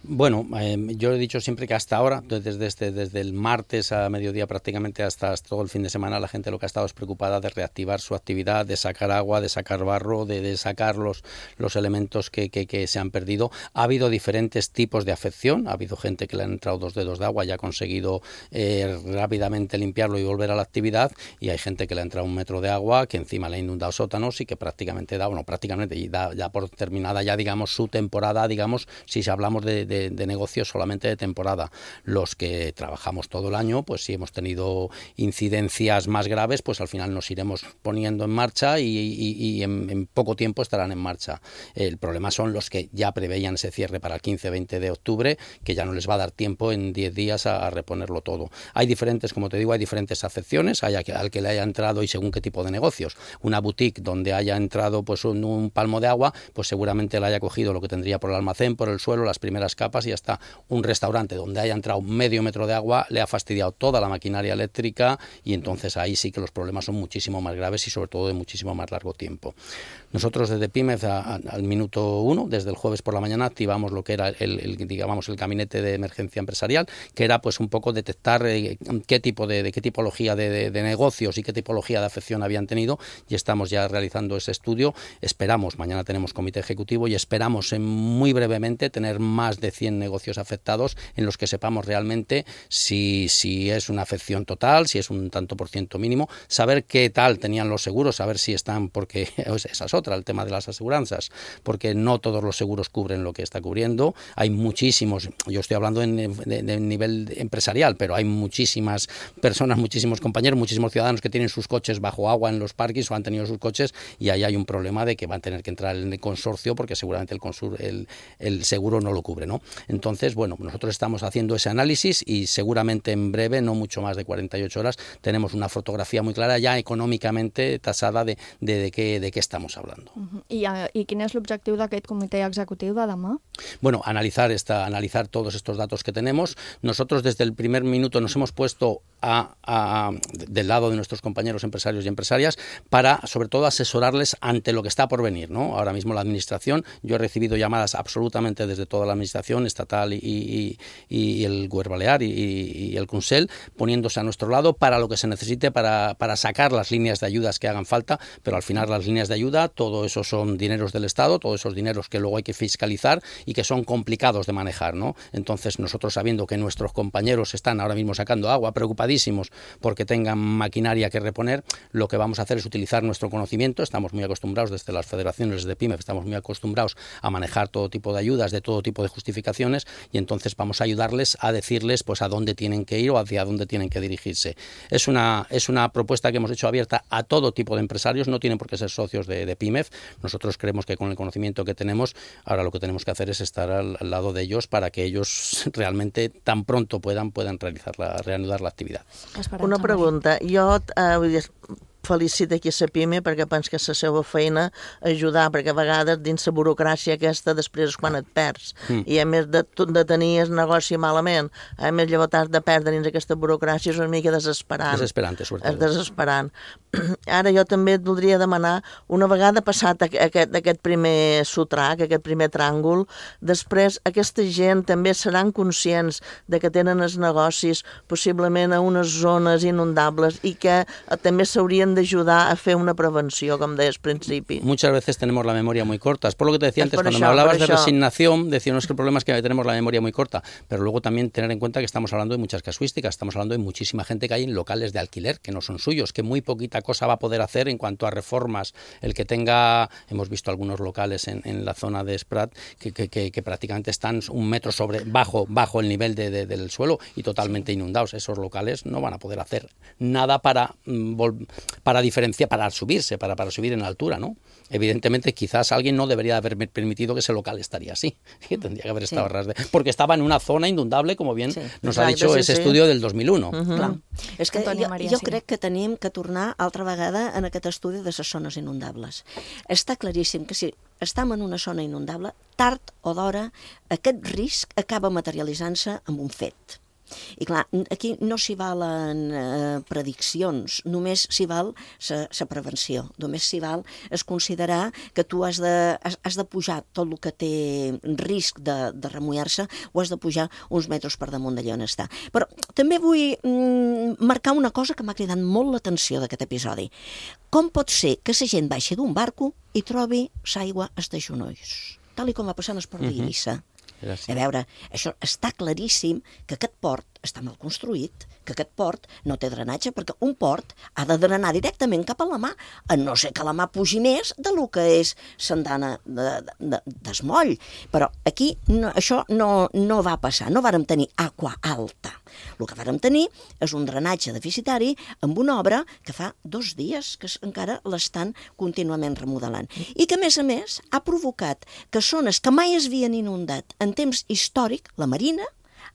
Speaker 18: Bueno, eh, yo he dicho siempre que hasta ahora, desde, este, desde el martes a mediodía prácticamente hasta, hasta todo el fin de semana, la gente lo que ha estado es preocupada de reactivar su actividad, de sacar agua, de sacar barro, de, de sacar los, los elementos que, que, que se han perdido. Ha habido diferentes tipos de afección, ha habido gente que le han entrado dos dedos de agua y ha conseguido eh, rápidamente limpiarlo y volver a la actividad, y hay gente que le ha entrado un metro de agua, que encima le ha inundado sótanos y que prácticamente da, bueno, prácticamente y da ya por terminada ya, digamos, su temporada, digamos, si hablamos de, de De, de negocios solamente de temporada. Los que trabajamos todo el año, pues si hemos tenido incidencias más graves, pues al final nos iremos poniendo en marcha y, y, y en, en poco tiempo estarán en marcha. El problema son los que ya preveían ese cierre para el quince veinte de octubre, que ya no les va a dar tiempo en diez días a, a reponerlo todo. Hay diferentes, como te digo, hay diferentes afecciones, hay al que le haya entrado y según qué tipo de negocios. Una boutique donde haya entrado pues un, un palmo de agua, pues seguramente le haya cogido lo que tendría por el almacén, por el suelo, las primeras capas, y hasta un restaurante donde haya entrado medio metro de agua le ha fastidiado toda la maquinaria eléctrica, y entonces ahí sí que los problemas son muchísimo más graves y sobre todo de muchísimo más largo tiempo. Nosotros desde PYMEF a, a, al minuto uno, desde el jueves por la mañana, activamos lo que era el, el, digamos, el gabinete de emergencia empresarial, que era pues un poco detectar eh, qué tipo de, de qué tipología de, de, de negocios y qué tipología de afección habían tenido, y estamos ya realizando ese estudio. Esperamos, mañana tenemos comité ejecutivo y esperamos en muy brevemente tener más de cien negocios afectados en los que sepamos realmente si, si es una afección total, si es un tanto por ciento mínimo, saber qué tal tenían los seguros, saber si están, porque esa es otra, el tema de las aseguranzas, porque no todos los seguros cubren lo que está cubriendo. Hay muchísimos, yo estoy hablando en, de, de nivel empresarial, pero hay muchísimas personas, muchísimos compañeros, muchísimos ciudadanos que tienen sus coches bajo agua en los parques o han tenido sus coches, y ahí hay un problema de que van a tener que entrar en el consorcio porque seguramente el, consur, el, el seguro no lo cubre, ¿no? Entonces, bueno, nosotros estamos haciendo ese análisis y seguramente en breve, no mucho más de cuarenta y ocho horas, tenemos una fotografía muy clara ya económicamente tasada de, de, de, qué, de qué estamos hablando.
Speaker 2: Uh-huh. I, I quin és l'objectiu d'aquest comitè executiu de demà?
Speaker 18: Bueno, analizar, esta, analizar todos estos datos que tenemos. Nosotros desde el primer minuto nos hemos puesto a, a, del lado de nuestros compañeros empresarios y empresarias para, sobre todo, asesorarles ante lo que está por venir, ¿no? Ahora mismo la administración, yo he recibido llamadas absolutamente desde toda la administración estatal y, y, y el Govern Balear y, y el Consell, poniéndose a nuestro lado para lo que se necesite para, para sacar las líneas de ayudas que hagan falta, pero al final las líneas de ayuda, todo eso son dineros del Estado, todos esos dineros que luego hay que fiscalizar y que son complicados de manejar, ¿no? Entonces nosotros, sabiendo que nuestros compañeros están ahora mismo sacando agua, preocupadísimos porque tengan maquinaria que reponer, lo que vamos a hacer es utilizar nuestro conocimiento. Estamos muy acostumbrados desde las federaciones de PYMEF, estamos muy acostumbrados a manejar todo tipo de ayudas, de todo tipo de justificaciones, y entonces vamos a ayudarles a decirles pues a dónde tienen que ir o hacia dónde tienen que dirigirse. Es una, es una propuesta que hemos hecho abierta a todo tipo de empresarios, no tienen por qué ser socios de, de PYMEF. Nosotros creemos que con el conocimiento que tenemos, ahora lo que tenemos que hacer es estar al, al lado de ellos para que ellos realmente tan pronto puedan, puedan realizar la, reanudar la actividad.
Speaker 16: Una pregunta. Jo eh, vull dir, felicito aquí a PYME perquè penso que és la seva feina ajudar, perquè a vegades dins la burocràcia aquesta després és quan et perds. Mm. I a més de, de tenir el negoci malament, a més llavors has de perdre dins aquesta burocràcia, és una mica desesperant.
Speaker 18: Desesperant, sobretot.
Speaker 16: És desesperant. Ara jo també et voldria demanar, una vegada passat aquest, aquest primer sotrac, aquest primer tràngol, després aquesta gent també seran conscients de que tenen els negocis possiblement a unes zones inundables i que també s'haurien hem d'ajudar a fer una prevenció, com deies al principi.
Speaker 18: Muchas veces tenemos la memoria muy corta. Es por lo que te decía antes,
Speaker 16: por
Speaker 18: cuando
Speaker 16: això,
Speaker 18: me hablabas de
Speaker 16: això.
Speaker 18: resignación, decíamos que el problema es que tenemos la memoria muy corta, pero luego también tener en cuenta que estamos hablando de muchas casuísticas, estamos hablando de muchísima gente que hay en locales de alquiler que no son suyos, que muy poquita cosa va a poder hacer en cuanto a reformas. El que tenga, hemos visto algunos locales en, en la zona de Esprat que, que, que, que prácticamente están un metro sobre bajo, bajo el nivel de, de, del suelo y totalmente inundados. Esos locales no van a poder hacer nada para, para diferenciar, para subirse, para, para subir en altura, ¿no? Evidentemente, quizás alguien no debería haber permitido que ese local estaría así, que tendría que haber estado
Speaker 17: Sí.
Speaker 18: ras de... Porque estaba en una zona inundable, como bien
Speaker 17: Sí.
Speaker 18: nos
Speaker 17: Exacte,
Speaker 18: ha dicho
Speaker 17: sí,
Speaker 18: ese
Speaker 17: sí.
Speaker 18: estudio del dos mil uno.
Speaker 17: Uh-huh. Clar. És que
Speaker 2: Antònia
Speaker 17: jo,
Speaker 2: Maria,
Speaker 17: jo
Speaker 2: sí.
Speaker 17: crec que tenim que tornar altra vegada en aquest estudi de les zones inundables. Està claríssim que si estem en una zona inundable, tard o d'hora, aquest risc acaba materialitzant-se amb un fet. I clar, aquí no s'hi valen eh, prediccions, només s'hi val la prevenció, només s'hi val es considerar que tu has de, has, has de pujar tot el que té risc de, de remullar-se, o has de pujar uns metres per damunt d'allà on està. Però també vull mm, marcar una cosa que m'ha cridat molt l'atenció d'aquest episodi. Com pot ser que la gent baixi d'un barco i trobi l'aigua als genolls? Tal i com va passar en el port d'Eivissa. A veure, això està claríssim que aquest port està mal construït, que aquest port no té drenatge, perquè un port ha de drenar directament cap a la mà, a no ser que la mà pugi més de lo que és l'andana d'esmoll. Però aquí no, això no, no va passar, no vàrem tenir aqua alta. El que vàrem tenir és un drenatge deficitari amb una obra que fa dos dies que encara l'estan contínuament remodelant. I que, a més a més, ha provocat que zones que mai es havien inundat en temps històric, la Marina,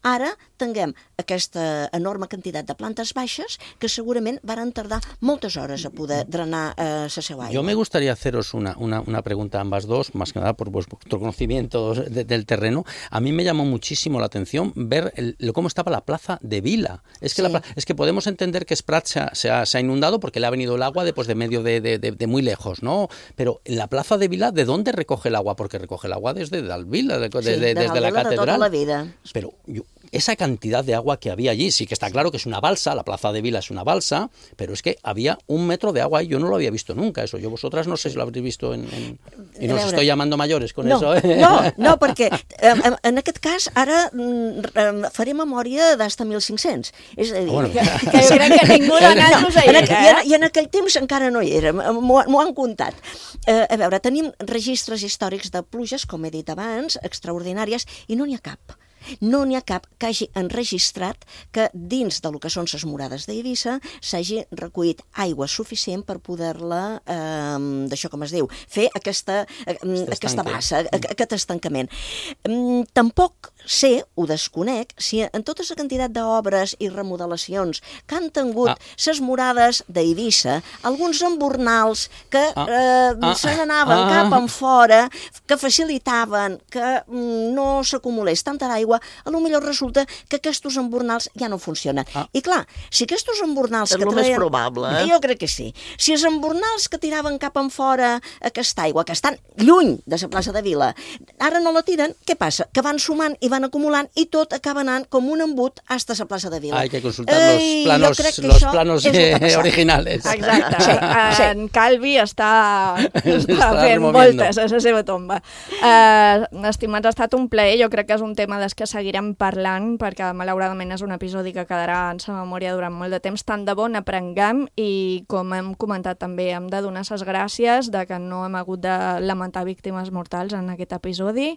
Speaker 17: ara tinguem aquesta enorme quantitat de plantes baixes que segurament van tardar moltes hores a poder drenar eh, la seva aigua.
Speaker 18: Yo me gustaría haceros una, una, una pregunta a ambas dos, más que nada por vuestro conocimiento de, del terreno. A mí me llamó muchísimo la atención ver el, cómo estaba la plaza de Vila. Es que, sí. la, es que podemos entender que Esprat se ha, se, ha, se ha inundado porque le ha venido el agua de, pues, de medio de, de, de, de muy lejos, ¿no? Pero en la plaza de Vila, ¿de dónde recoge el agua? Porque recoge el agua desde Dalvila, de, de,
Speaker 17: sí,
Speaker 18: de,
Speaker 17: de
Speaker 18: desde la catedral. De toda
Speaker 17: la vida.
Speaker 18: Pero yo, esa cantidad de agua que había allí, sí que está claro que es una balsa, la plaza de Vila es una balsa, pero es que había un metro de agua y yo no lo había visto nunca, eso. Yo vosotras no sé si lo habréis visto en... en... I no os estoy llamando mayores con
Speaker 17: no,
Speaker 18: eso, eh?
Speaker 17: No, no, perquè en, en aquest cas ara mm, faré memòria d'hasta mil cinc-cents. És a dir,
Speaker 2: bueno. que, que jo crec que ningú de nosaltres hi era.
Speaker 17: I en, I en aquell temps encara no hi era, m'ho han contat. Eh, a veure, tenim registres històrics de pluges, com he dit abans, extraordinàries, i no n'hi ha cap. No n'hi ha cap que hagi enregistrat que dins del que són les murades d'Eivissa s'hagi recollit aigua suficient per poder-la, eh, d'això com es diu, fer aquesta, eh, aquesta bassa, aquest estancament. Eh, tampoc sé, ho desconec, si en tota la quantitat d'obres i remodelacions que han tingut les ah. murades d'Eivissa, alguns embornals que eh, ah. se n'anaven ah. cap en fora, que facilitaven que mm, no s'acumulés tanta aigua, a lo millor resulta que aquests embornals ja no funcionen. Ah. I clar, si aquests embornals
Speaker 16: és
Speaker 17: que
Speaker 16: el
Speaker 17: traien...
Speaker 16: més probable, eh?
Speaker 17: Jo crec que sí. Si els embornals que tiraven cap en fora aquesta aigua, que estan lluny de la plaça de Vila, ara no la tiren, què passa? Que van sumant i van acumulant i tot acaba anant com un embut hasta la plaça de Vila.
Speaker 18: Hay que consultar eh, los planos, los planos eh, originales.
Speaker 2: Exacte. Sí, sí. En Calvi està, està fent voltes a la seva tomba. Uh, estimats, ha estat un plaer. Jo crec que és un tema des que seguirem parlant, perquè malauradament és un episodi que quedarà en sa memòria durant molt de temps. Tant de bo n'aprenguem i, com hem comentat també, hem de donar ses gràcies de que no hem hagut de lamentar víctimes mortals en aquest episodi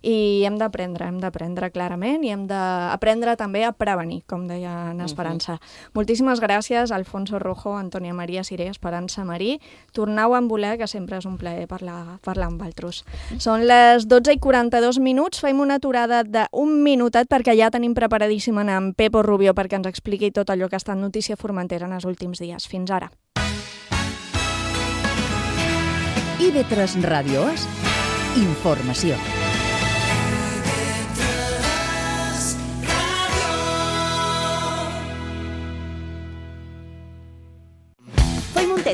Speaker 2: i hem d'aprendre, hem d'aprendre clarament i hem d'aprendre també a prevenir, com deia en Esperança. Uh-huh. Moltíssimes gràcies, Alfonso Rojo, Antònia Maria Siré, Esperança Marí. Torneu a voler, que sempre és un plaer parlar, parlar amb altres. Són les dotze i quaranta-dos minuts, fem una aturada d'un minutet perquè ja tenim preparadíssim en Pepo Rubio perquè ens expliqui tot allò que ha estat notícia Formentera en els últims dies. Fins ara.
Speaker 3: I ve tres Ràdio És informació.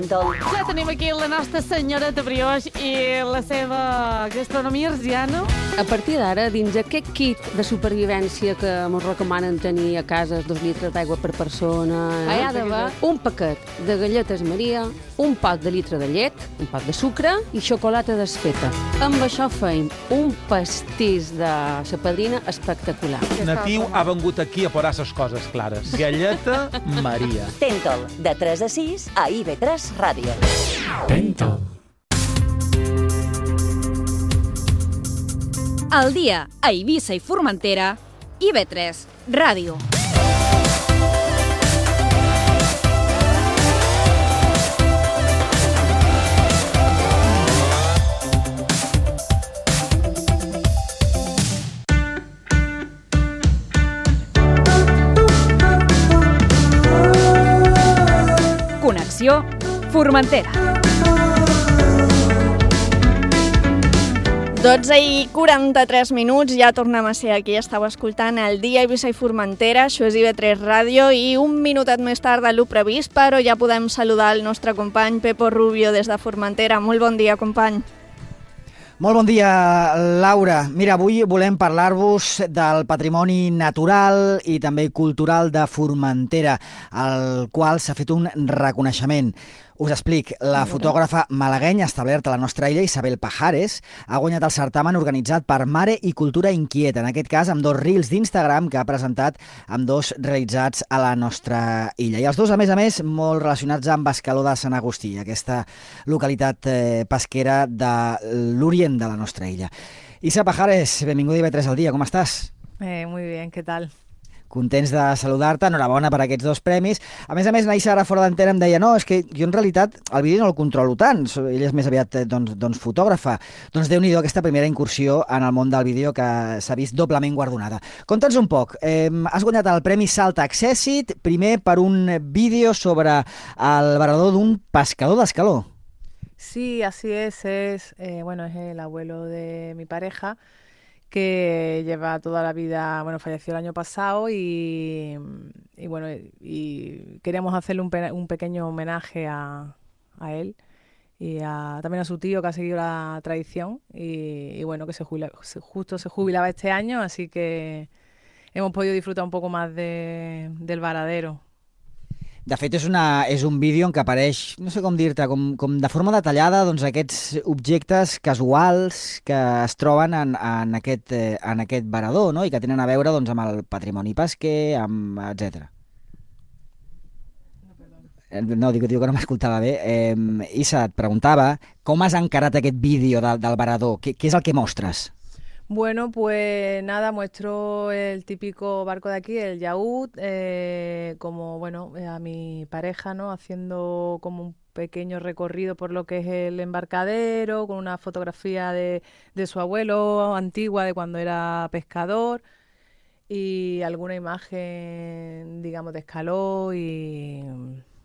Speaker 13: Tèntol.
Speaker 19: Ja tenim aquí la nostra senyora de brioix i la seva gastronomia arsiana.
Speaker 20: A partir d'ara, dins aquest kit de supervivència que ens recomanen tenir a casa, dos litres d'aigua per persona, eh? hi ha d'haver un paquet de galletes Maria, un pot de litre de llet, un pot de sucre i xocolata desfeta. Amb això feim un pastís de sa padrina espectacular.
Speaker 21: Natiu ha vengut aquí a posar ses coses clares. Galleta Maria.
Speaker 13: Tèntol, de tres a sis a I V tres Ràdio.
Speaker 21: Tèntol.
Speaker 4: Al dia a Eivissa i Formentera, I V tres Ràdio. Connexió Formentera.
Speaker 2: dotze i quaranta-tres minuts, ja tornem a ser aquí. Estàu escoltant el dia Eivissa i Formentera, això és I V tres Ràdio, i un minutet més tard de lo previst, però ja podem saludar el nostre company Pepo Rubio des de Formentera. Molt bon dia, company.
Speaker 22: Molt bon dia, Laura. Mira, avui volem parlar-vos del patrimoni natural i també cultural de Formentera, al qual s'ha fet un reconeixement. Us explic, la fotògrafa malaguenya establerta a la nostra illa, Isabel Pajares, ha guanyat el certamen organitzat per Mare i Cultura Inquieta, en aquest cas amb dos reels d'Instagram que ha presentat amb dos realitzats a la nostra illa. I els dos, a més a més, molt relacionats amb Escaló de Sant Agustí, aquesta localitat eh, pesquera de l'orient de la nostra illa. Isa Pajares, benvinguda a I V tres al dia, com estàs?
Speaker 23: Eh, muy bien, ¿qué tal?
Speaker 22: Contents de saludar-te, enhorabona per aquests dos premis. A més a més, Naisa ara fora d'antena em deia no, és que jo en realitat el vídeo no el controlo tant, ell és més aviat doncs, doncs fotògrafa. Doncs Déu-n'hi-do aquesta primera incursió en el món del vídeo que s'ha vist doblement guardonada. Conta'ns un poc, eh, has guanyat el Premi Salt Accessit, primer per un vídeo sobre el varador d'un pescador d'Escaló.
Speaker 23: Sí, así es, es, eh, bueno, es el abuelo de mi pareja, que lleva toda la vida, bueno, falleció el año pasado y, y bueno, y queríamos hacerle un, pe un pequeño homenaje a, a él y a, también a su tío que ha seguido la tradición y, y bueno, que se jubila, justo se jubilaba este año, así que hemos podido disfrutar un poco más de, del varadero.
Speaker 22: De fet, és, una, és un vídeo en què apareix, no sé com dir-te, com, com de forma detallada, doncs, aquests objectes casuals que es troben en, en, aquest, eh, en aquest varador, no? I que tenen a veure doncs, amb el patrimoni pesquer, amb etcètera. No, dic, dic que no m'escoltava bé. Eh, Isa, et preguntava com has encarat aquest vídeo del, del varador? Què, què és el que mostres?
Speaker 23: Bueno, pues nada, muestro el típico barco de aquí, el yaúd, eh, como, bueno, a mi pareja, ¿no? Haciendo como un pequeño recorrido por lo que es el embarcadero, con una fotografía de, de su abuelo antigua, de cuando era pescador, y alguna imagen, digamos, de Escaló y,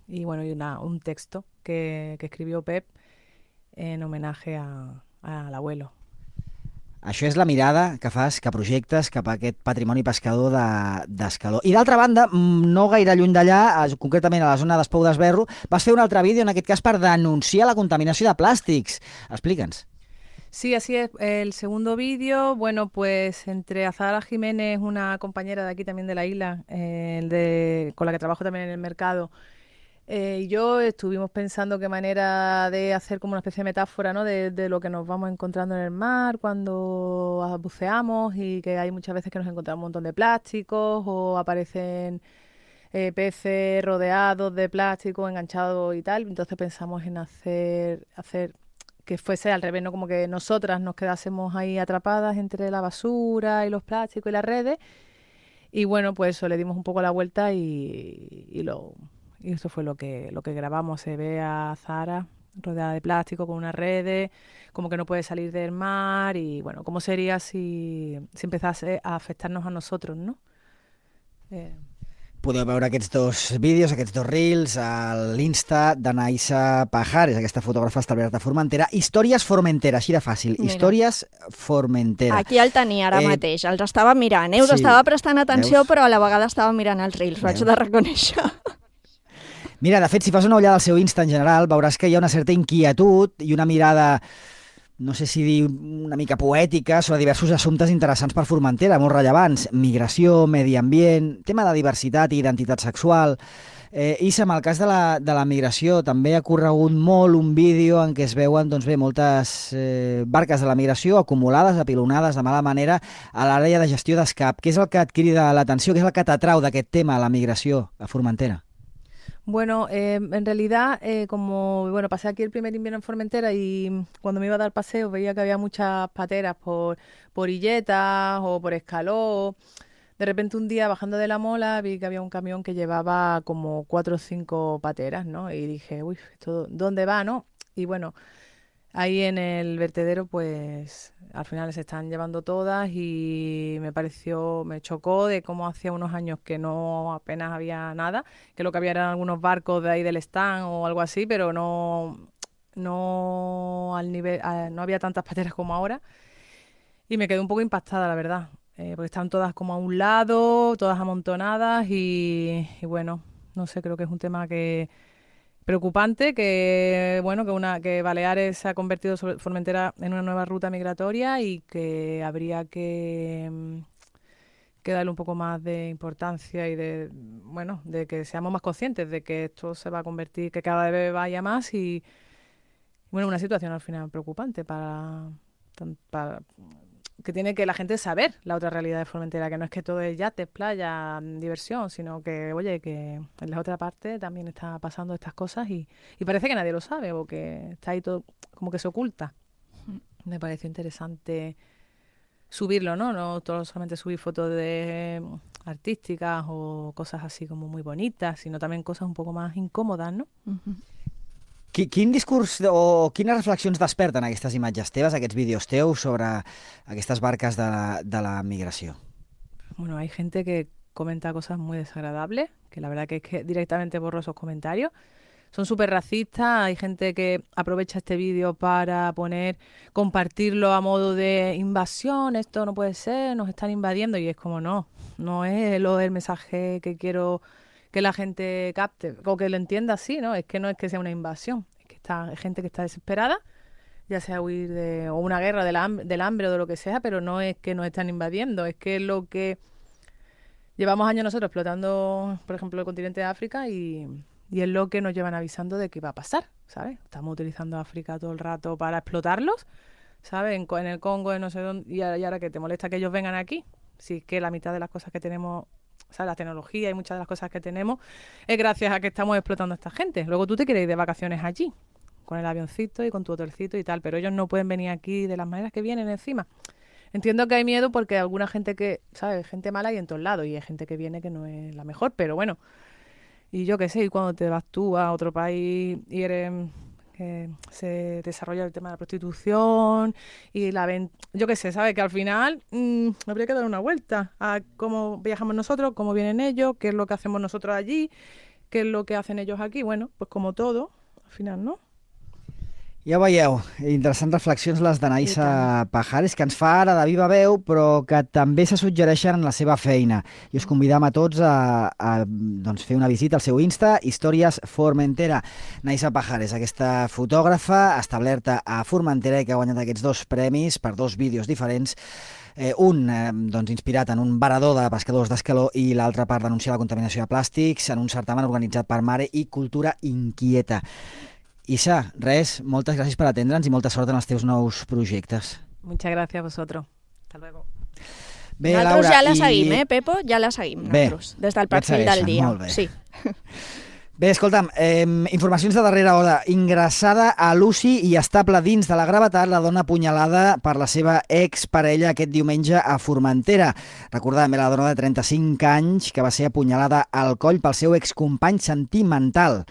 Speaker 23: y bueno, y una, un texto que, que escribió Pep en homenaje a, a, al abuelo.
Speaker 22: Això és la mirada que fas, que projectes cap a aquest patrimoni pescador d'Escaló. I d'altra banda, no gaire lluny d'allà, concretament a la zona d'Espou d'Esberro, vas fer un altre vídeo, en aquest cas per denunciar la contaminació de plàstics. Explica'ns.
Speaker 23: Sí, así es. El segundo vídeo, bueno, pues entre Azahara Jiménez, una compañera de aquí también de la isla, eh, de, con la que trabajo también en el mercado, Eh, y yo estuvimos pensando qué manera de hacer como una especie de metáfora, ¿no? de, de lo que nos vamos encontrando en el mar cuando buceamos y que hay muchas veces que nos encontramos un montón de plásticos o aparecen eh, peces rodeados de plástico, enganchados y tal. Entonces pensamos en hacer, hacer que fuese al revés, ¿no? Como que nosotras nos quedásemos ahí atrapadas entre la basura y los plásticos y las redes. Y bueno, pues eso, le dimos un poco la vuelta y, y lo... Y eso fue lo que, lo que grabamos. Se ve a Zara rodeada de plástico con unas redes, como que no puede salir del mar y, bueno, ¿cómo sería si, si empezase a afectarnos a nosotros, no? Eh...
Speaker 22: Podeu veure aquests dos vídeos, aquests dos reels a l'Insta de Naisa Pajares, aquesta fotògrafa establerta a Formentera. Històries Formentera, així de fàcil. Mira. Històries Formentera.
Speaker 2: Aquí el tenia ara eh... mateix, els estava mirant. Eh? Us sí. estava prestant atenció, Veus? Però a la vegada estava mirant els reels, ho haig de reconèixer.
Speaker 22: Mira, de fet, si fas una ullada al seu Insta en general, veuràs que hi ha una certa inquietud i una mirada, no sé si dir una mica poètica, sobre diversos assumptes interessants per Formentera, molt rellevants. Migració, medi ambient, tema de diversitat i identitat sexual. Eh, Issa, en el cas de la, de la migració, també ha corregut molt un vídeo en què es veuen doncs bé, moltes eh, barques de la migració acumulades, apilonades de mala manera a l'àrea de gestió d'escap. Què és el que et crida l'atenció? Què és el que t'atrau d'aquest tema, la migració a Formentera?
Speaker 23: Bueno, eh, en realidad, eh, como bueno, pasé aquí el primer invierno en Formentera y cuando me iba a dar paseo veía que había muchas pateras por, por Illetas o por Escaló. De repente un día bajando de la mola vi que había un camión que llevaba como cuatro o cinco pateras, ¿no? Y dije, uy, ¿esto dónde va, no? Y bueno, ahí en el vertedero pues al final se están llevando todas y me pareció, me chocó de cómo hacía unos años que no apenas había nada, que lo que había eran algunos barcos de ahí del stand o algo así, pero no, no al nivel, no había tantas pateras como ahora y me quedé un poco impactada, la verdad. Eh, porque están todas como a un lado, todas amontonadas y, y bueno, no sé, creo que es un tema que preocupante, que bueno, que una que Baleares se ha convertido sobre Formentera en una nueva ruta migratoria y que habría que, que darle un poco más de importancia y de bueno, de que seamos más conscientes de que esto se va a convertir, que cada vez vaya más y bueno, una situación al final preocupante para, para que tiene que la gente saber la otra realidad de Formentera, que no es que todo es yates, playa, diversión, sino que, oye, que en la otra parte también está pasando estas cosas y, y parece que nadie lo sabe o que está ahí todo como que se oculta. Me pareció interesante subirlo, ¿no? No todo solamente subir fotos de artísticas o cosas así como muy bonitas, sino también cosas un poco más incòmodes, ¿no?
Speaker 22: Uh-huh. Quin discurs o quines reflexions desperten aquestes imatges teves, aquests vídeos teus sobre aquestes barques de la, de la migració?
Speaker 23: Bueno, hay gente que comenta cosas muy desagradables, que la verdad que es que directamente borro esos comentarios. Son súper racistas, hay gente que aprovecha este vídeo para poner, compartirlo a modo de invasión, esto no puede ser, nos están invadiendo, y es como no, no es lo del mensaje que quiero que la gente capte, o que lo entienda así, ¿no? Es que no es que sea una invasión, es que está, hay gente que está desesperada, ya sea huir de o una guerra del hambre, del hambre o de lo que sea, pero no es que nos están invadiendo, es que es lo que llevamos años nosotros explotando, por ejemplo, el continente de África y, y es lo que nos llevan avisando de que va a pasar, ¿sabes? Estamos utilizando África todo el rato para explotarlos, ¿sabes? En, en el Congo, en no sé dónde, y ahora, y ahora que te molesta que ellos vengan aquí, si es que la mitad de las cosas que tenemos, o sea, la tecnología y muchas de las cosas que tenemos es gracias a que estamos explotando a esta gente. Luego tú te quieres ir de vacaciones allí, con el avioncito y con tu hotelcito y tal, pero ellos no pueden venir aquí de las maneras que vienen encima. Entiendo que hay miedo porque hay alguna gente que, ¿sabes? Gente mala hay en todos lados y hay gente que viene que no es la mejor, pero bueno. Y yo qué sé, y cuando te vas tú a otro país y eres... que se desarrolla el tema de la prostitución y la venta, yo qué sé, ¿sabes? Que al final mmm, habría que dar una vuelta a cómo viajamos nosotros, cómo vienen ellos, qué es lo que hacemos nosotros allí, qué es lo que hacen ellos aquí. Bueno, pues como todo, al final, ¿no?
Speaker 22: Ja ho veieu, interessants reflexions les d'Anaïssa Pajares, que ens fa ara de viva veu, però que també se suggereixen en la seva feina. I us convidam a tots a, a doncs, fer una visita al seu Insta, Històries Formentera. Anaïssa Pajares, aquesta fotògrafa establerta a Formentera i que ha guanyat aquests dos premis per dos vídeos diferents, eh, un eh, doncs, inspirat en un varador de pescadors d'Escaló i l'altre per denunciar la contaminació de plàstics en un certamen organitzat per Mare i Cultura Inquieta. Issa, res, moltes gràcies per atendre'ns i molta sort en els teus nous projectes.
Speaker 23: Muchas gracias a vosotros. Hasta luego.
Speaker 22: Bé,
Speaker 2: nosaltres
Speaker 22: Laura,
Speaker 2: ja la
Speaker 22: i...
Speaker 2: seguim, eh, Pepo? Ja la seguim,
Speaker 22: bé,
Speaker 2: nosaltres, des del perfil del dia.
Speaker 22: Molt bé.
Speaker 2: Sí.
Speaker 22: Bé, escolta'm, eh, informacions de darrera hora. Ingressada a l'U C I i estable dins de la gravetat la dona apunyalada per la seva exparella aquest diumenge a Formentera. Recordem, era la dona de trenta-cinc anys que va ser apunyalada al coll pel seu excompany sentimental.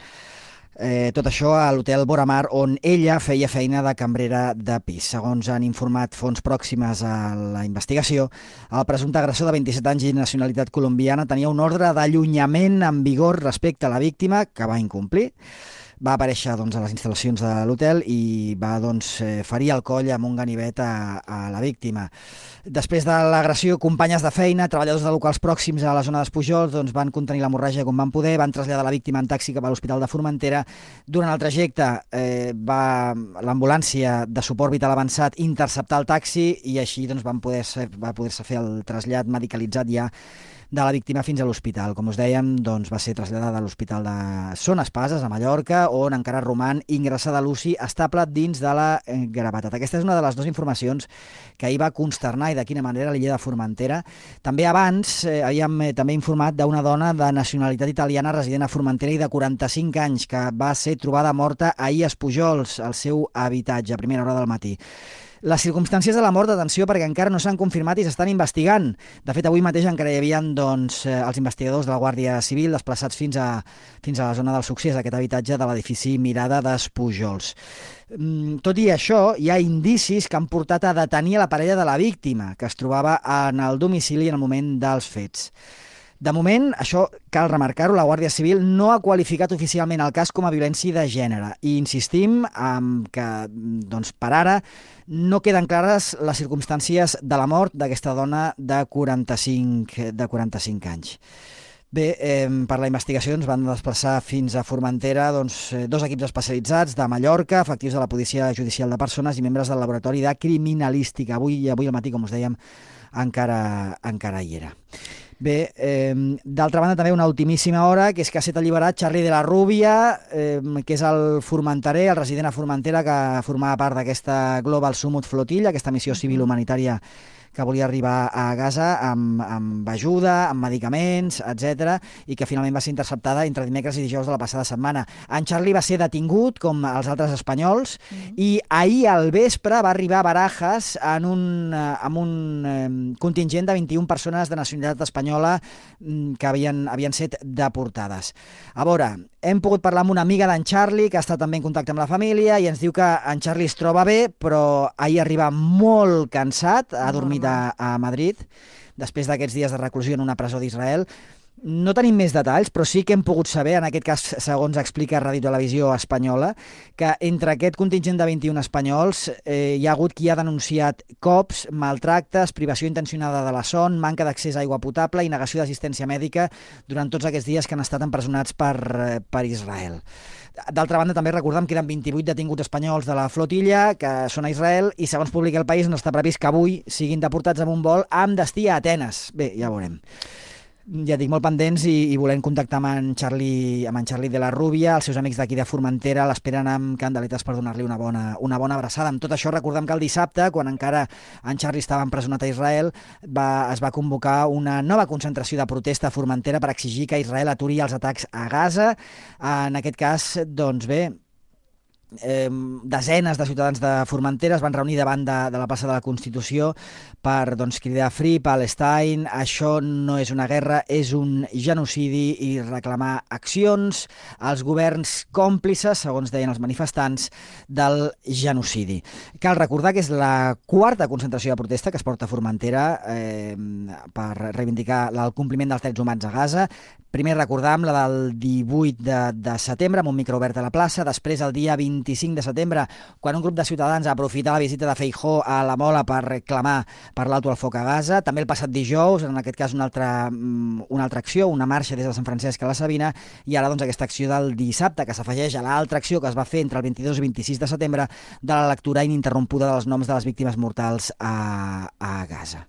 Speaker 22: Eh, tot això a l'hotel Boramar, on ella feia feina de cambrera de pis. Segons han informat fonts pròximes a la investigació, el presumpte agressor de vint-i-set anys i nacionalitat colombiana tenia un ordre d'allunyament en vigor respecte a la víctima, que va incomplir. va aparèixer doncs, a les instal·lacions de l'hotel i va doncs, ferir el coll amb un ganivet a, a la víctima. Després de l'agressió, companyes de feina, treballadors de locals pròxims a la zona d'Espujols doncs, van contenir l'hemorràgia com van poder, van traslladar la víctima en taxi cap a l'Hospital de Formentera. Durant el trajecte eh, va l'ambulància de suport vital avançat interceptar el taxi i així doncs, van poder ser, va poder-se fer el trasllat medicalitzat ja de la víctima fins a l'hospital. Com us dèiem, doncs, va ser traslladada a l'Hospital de Son Espases, a Mallorca, on encara roman ingressada a l'U C I estable dins de la gravetat. Aquesta és una de les dues informacions que ahir va consternar i de quina manera l'illa de Formentera. També abans eh, havíem eh, també informat d'una dona de nacionalitat italiana resident a Formentera i de quaranta-cinc anys que va ser trobada morta ahir a Espujols, al seu habitatge, a primera hora del matí. Les circumstàncies de la mort, atenció, perquè encara no s'han confirmat i s'estan investigant. De fet, avui mateix encara hi havia doncs, els investigadors de la Guàrdia Civil desplaçats fins a, fins a la zona del succés d'aquest habitatge de l'edifici Mirada d'Espujols. Tot i això, hi ha indicis que han portat a detenir a la parella de la víctima, que es trobava en el domicili en el moment dels fets. De moment, això cal remarcar-ho, la Guàrdia Civil no ha qualificat oficialment el cas com a violència de gènere i insistim en que doncs, per ara no queden clares les circumstàncies de la mort d'aquesta dona de quaranta-cinc, de quaranta-cinc anys. Bé, eh, per la investigació ens van desplaçar fins a Formentera doncs, dos equips especialitzats de Mallorca, efectius de la Policia Judicial de Persones i membres del Laboratori de Criminalística. Avui, avui al matí, com us dèiem, encara, encara hi era. Bé, eh, d'altra banda també una ultimíssima hora, que és que ha estat alliberat Charlie de la Rubia, eh, que és el formenterer, el resident a Formentera, que formava part d'aquesta Global Summit Flotilla, aquesta missió civil humanitària que volia arribar a Gaza amb, amb ajuda, amb medicaments, etcètera, i que finalment va ser interceptada entre dimecres i dijous de la passada setmana. En Charlie va ser detingut, com els altres espanyols, mm-hmm. i ahir al vespre va arribar a Barajas en un, amb un eh, contingent de vint-i-una persones de nacionalitat espanyola que havien, havien set deportades. A veure, hem pogut parlar amb una amiga d'en Charlie, que ha estat també en contacte amb la família, i ens diu que en Charlie es troba bé, però ahir arriba molt cansat, ha dormit a, a Madrid, després d'aquests dies de reclusió en una presó d'Israel. No tenim més detalls, però sí que hem pogut saber, en aquest cas, segons explica Ràdio Televisió Espanyola, que entre aquest contingent de vint-i-una espanyols eh, hi ha hagut qui ha denunciat cops, maltractes, privació intencionada de la son, manca d'accés a aigua potable i negació d'assistència mèdica durant tots aquests dies que han estat empresonats per, per Israel. D'altra banda, també recordem que queden vint-i-vuit detinguts espanyols de la flotilla que són a Israel i, segons publica El País, no està previst que avui siguin deportats amb un vol amb destí a Atenes. Bé, ja veurem. Ja dic, molt pendents i, i volem contactar amb en, Charlie, amb en Charlie de la Rubia, els seus amics d'aquí de Formentera l'esperen amb candeletes per donar-li una bona, una bona abraçada. Amb tot això, recordem que el dissabte, quan encara en Charlie estava empresonat a Israel, va, es va convocar una nova concentració de protesta a Formentera per exigir que Israel aturi els atacs a Gaza. En aquest cas, doncs bé, Eh, desenes de ciutadans de Formentera es van reunir davant de, de la plaça de la Constitució per doncs, cridar Free Palestine, això no és una guerra, és un genocidi, i reclamar accions als governs còmplices, segons deien els manifestants, del genocidi. Cal recordar que és la quarta concentració de protesta que es porta a Formentera eh, per reivindicar el compliment dels drets humans a Gaza. Primer recordam la del divuit de, de setembre amb un micro obert a la plaça, després el dia vint-i-cinc de setembre, quan un grup de ciutadans ha aprofitat la visita de Feijóo a la Mola per reclamar per l'alto al foc a Gaza. També el passat dijous, en aquest cas una altra, una altra acció, una marxa des de Sant Francesc a la Sabina, i ara doncs, aquesta acció del dissabte, que s'afegeix a l'altra acció que es va fer entre el vint-i-dos i vint-i-sis de setembre de la lectura ininterrompuda dels noms de les víctimes mortals a, a Gaza.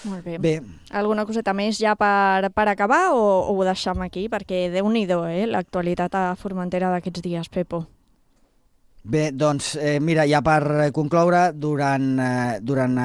Speaker 2: Molt bé.
Speaker 22: Bé.
Speaker 2: Alguna coseta més ja per, per acabar o, o ho deixem aquí? Perquè déu-n'hi-do, eh, l'actualitat a Formentera d'aquests dies, Pepo.
Speaker 22: Bé, doncs, eh, mira, ja per concloure, durant, eh, durant eh,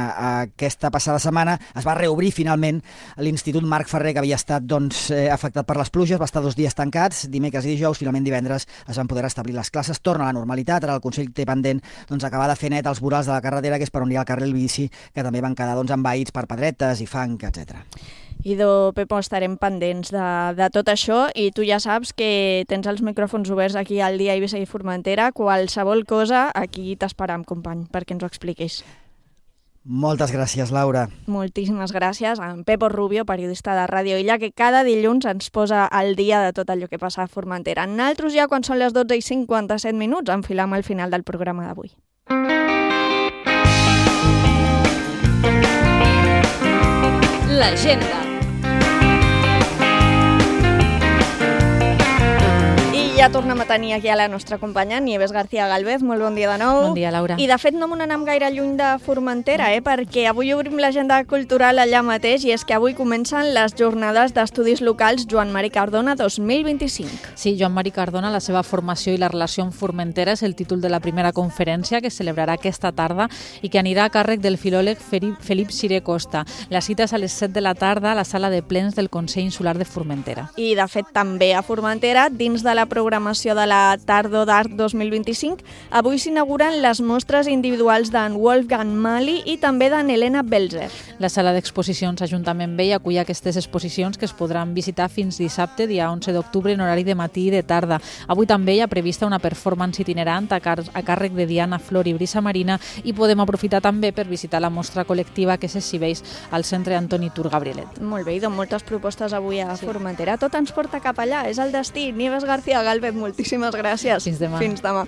Speaker 22: aquesta passada setmana es va reobrir finalment l'Institut Marc Ferrer, que havia estat doncs, eh, afectat per les pluges, va estar dos dies tancats, dimecres i dijous, finalment divendres es van poder restablir les classes, torna a la normalitat, ara el Consell té pendent doncs, acabar de fer net els vorals de la carretera, que és per on hi ha el carril bici, que també van quedar doncs, envaïts per pedretes i fang, etcètera.
Speaker 2: Idò, Pepo, estarem pendents de, de tot això i tu ja saps que tens els micròfons oberts aquí al Dia Eivissa i Formentera. Qualsevol cosa, aquí t'esperam, company, perquè ens ho expliquis.
Speaker 22: Moltes gràcies, Laura.
Speaker 2: Moltíssimes gràcies a en Pepo Rubio, periodista de Ràdio Illa, que cada dilluns ens posa al dia de tot allò que passa a Formentera. Nosaltres ja, quan són les dotze i cinquanta-set minuts, enfilam al final del programa d'avui.
Speaker 4: L'agenda.
Speaker 2: Ja tornem a tenir aquí a la nostra companya, Nieves García Galvez. Molt bon dia de nou.
Speaker 5: Bon dia, Laura.
Speaker 2: I de fet no me n'anem gaire lluny de Formentera, eh? perquè avui obrim l'agenda cultural allà mateix, i és que avui comencen les jornades d'estudis locals Joan Mari Cardona dos mil vint-i-cinc.
Speaker 5: Sí, Joan Mari Cardona, la seva formació i la relació amb Formentera és el títol de la primera conferència que es celebrarà aquesta tarda i que anirà a càrrec del filòleg Felip Siré Costa. La cita és a les set de la tarda a la sala de plens del Consell Insular de Formentera.
Speaker 2: I de fet també a Formentera, dins de la programació de la Tardo d'Art dos mil vint-i-cinc, avui s'inauguren les mostres individuals d'en Wolfgang Mali i també d'en Helena Belzer.
Speaker 5: La sala d'exposicions Ajuntament Vell acull aquestes exposicions que es podran visitar fins dissabte, dia onze d'octubre, en horari de matí i de tarda. Avui també hi ha prevista una performance itinerant a, car a càrrec de Diana Flor i Brisa Marina, i podem aprofitar també per visitar la mostra col·lectiva que s'exhibeix al Centre Antoni Tur Gabrielet.
Speaker 2: Molt bé, i doncs moltes propostes avui a sí. Formentera. Tot ens porta cap allà, és el destí. Nieves García Galvez, moltíssimes gràcies.
Speaker 5: Fins demà.
Speaker 2: Fins demà.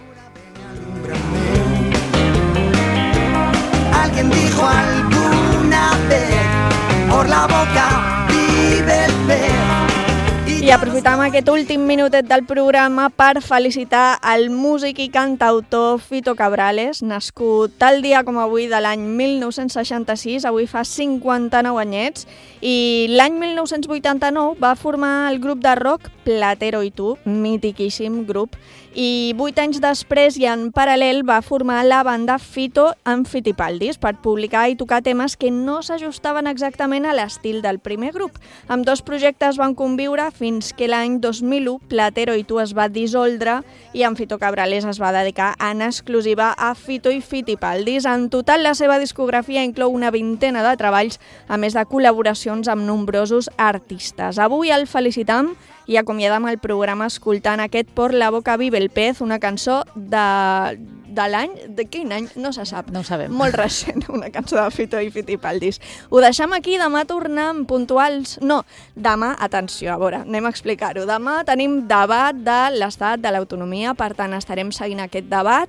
Speaker 1: Alguien dijo alguna vez, por la boca vive el pez.
Speaker 2: I aprofitam aquest últim minutet del programa per felicitar el músic i cantautor Fito Cabrales, nascut tal dia com avui de l'any mil nou-cents seixanta-sis, avui fa cinquanta-nou anyets, i l'any mil nou-cents vuitanta-nou va formar el grup de rock Platero i tu, mitiquíssim grup, i vuit anys després i en paral·lel va formar la banda Fito amb Fitipaldis per publicar i tocar temes que no s'ajustaven exactament a l'estil del primer grup. Amb dos projectes van conviure fins que l'any dos mil u Platero i tu es va dissoldre i en Fito Cabrales es va dedicar en exclusiva a Fito i Fitipaldis. En total, la seva discografia inclou una vintena de treballs, a més de col·laboracions amb nombrosos artistes. Avui el felicitam i acomiadam el programa escoltant aquest Por la boca vive el pez, una cançó de, de l'any... De quin any? No se sap.
Speaker 5: No ho sabem.
Speaker 2: Molt recent, una cançó de Fito i Fitipaldis. Ho deixem aquí, demà tornem puntuals... No, demà, atenció, a veure, anem a explicar-ho. Demà tenim debat de l'estat de l'autonomia, per tant estarem seguint aquest debat,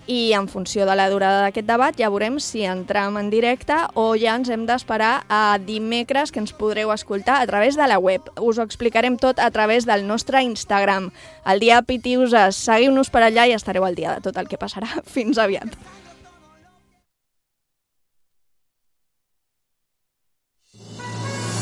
Speaker 2: i en funció de la durada d'aquest debat ja veurem si entrem en directe o ja ens hem d'esperar a dimecres, que ens podreu escoltar a través de la web. Us ho explicarem tot a través del nostre Instagram. El dia Pitiuses, seguiu-nos per allà i estareu al dia de tot el que passarà. Fins aviat.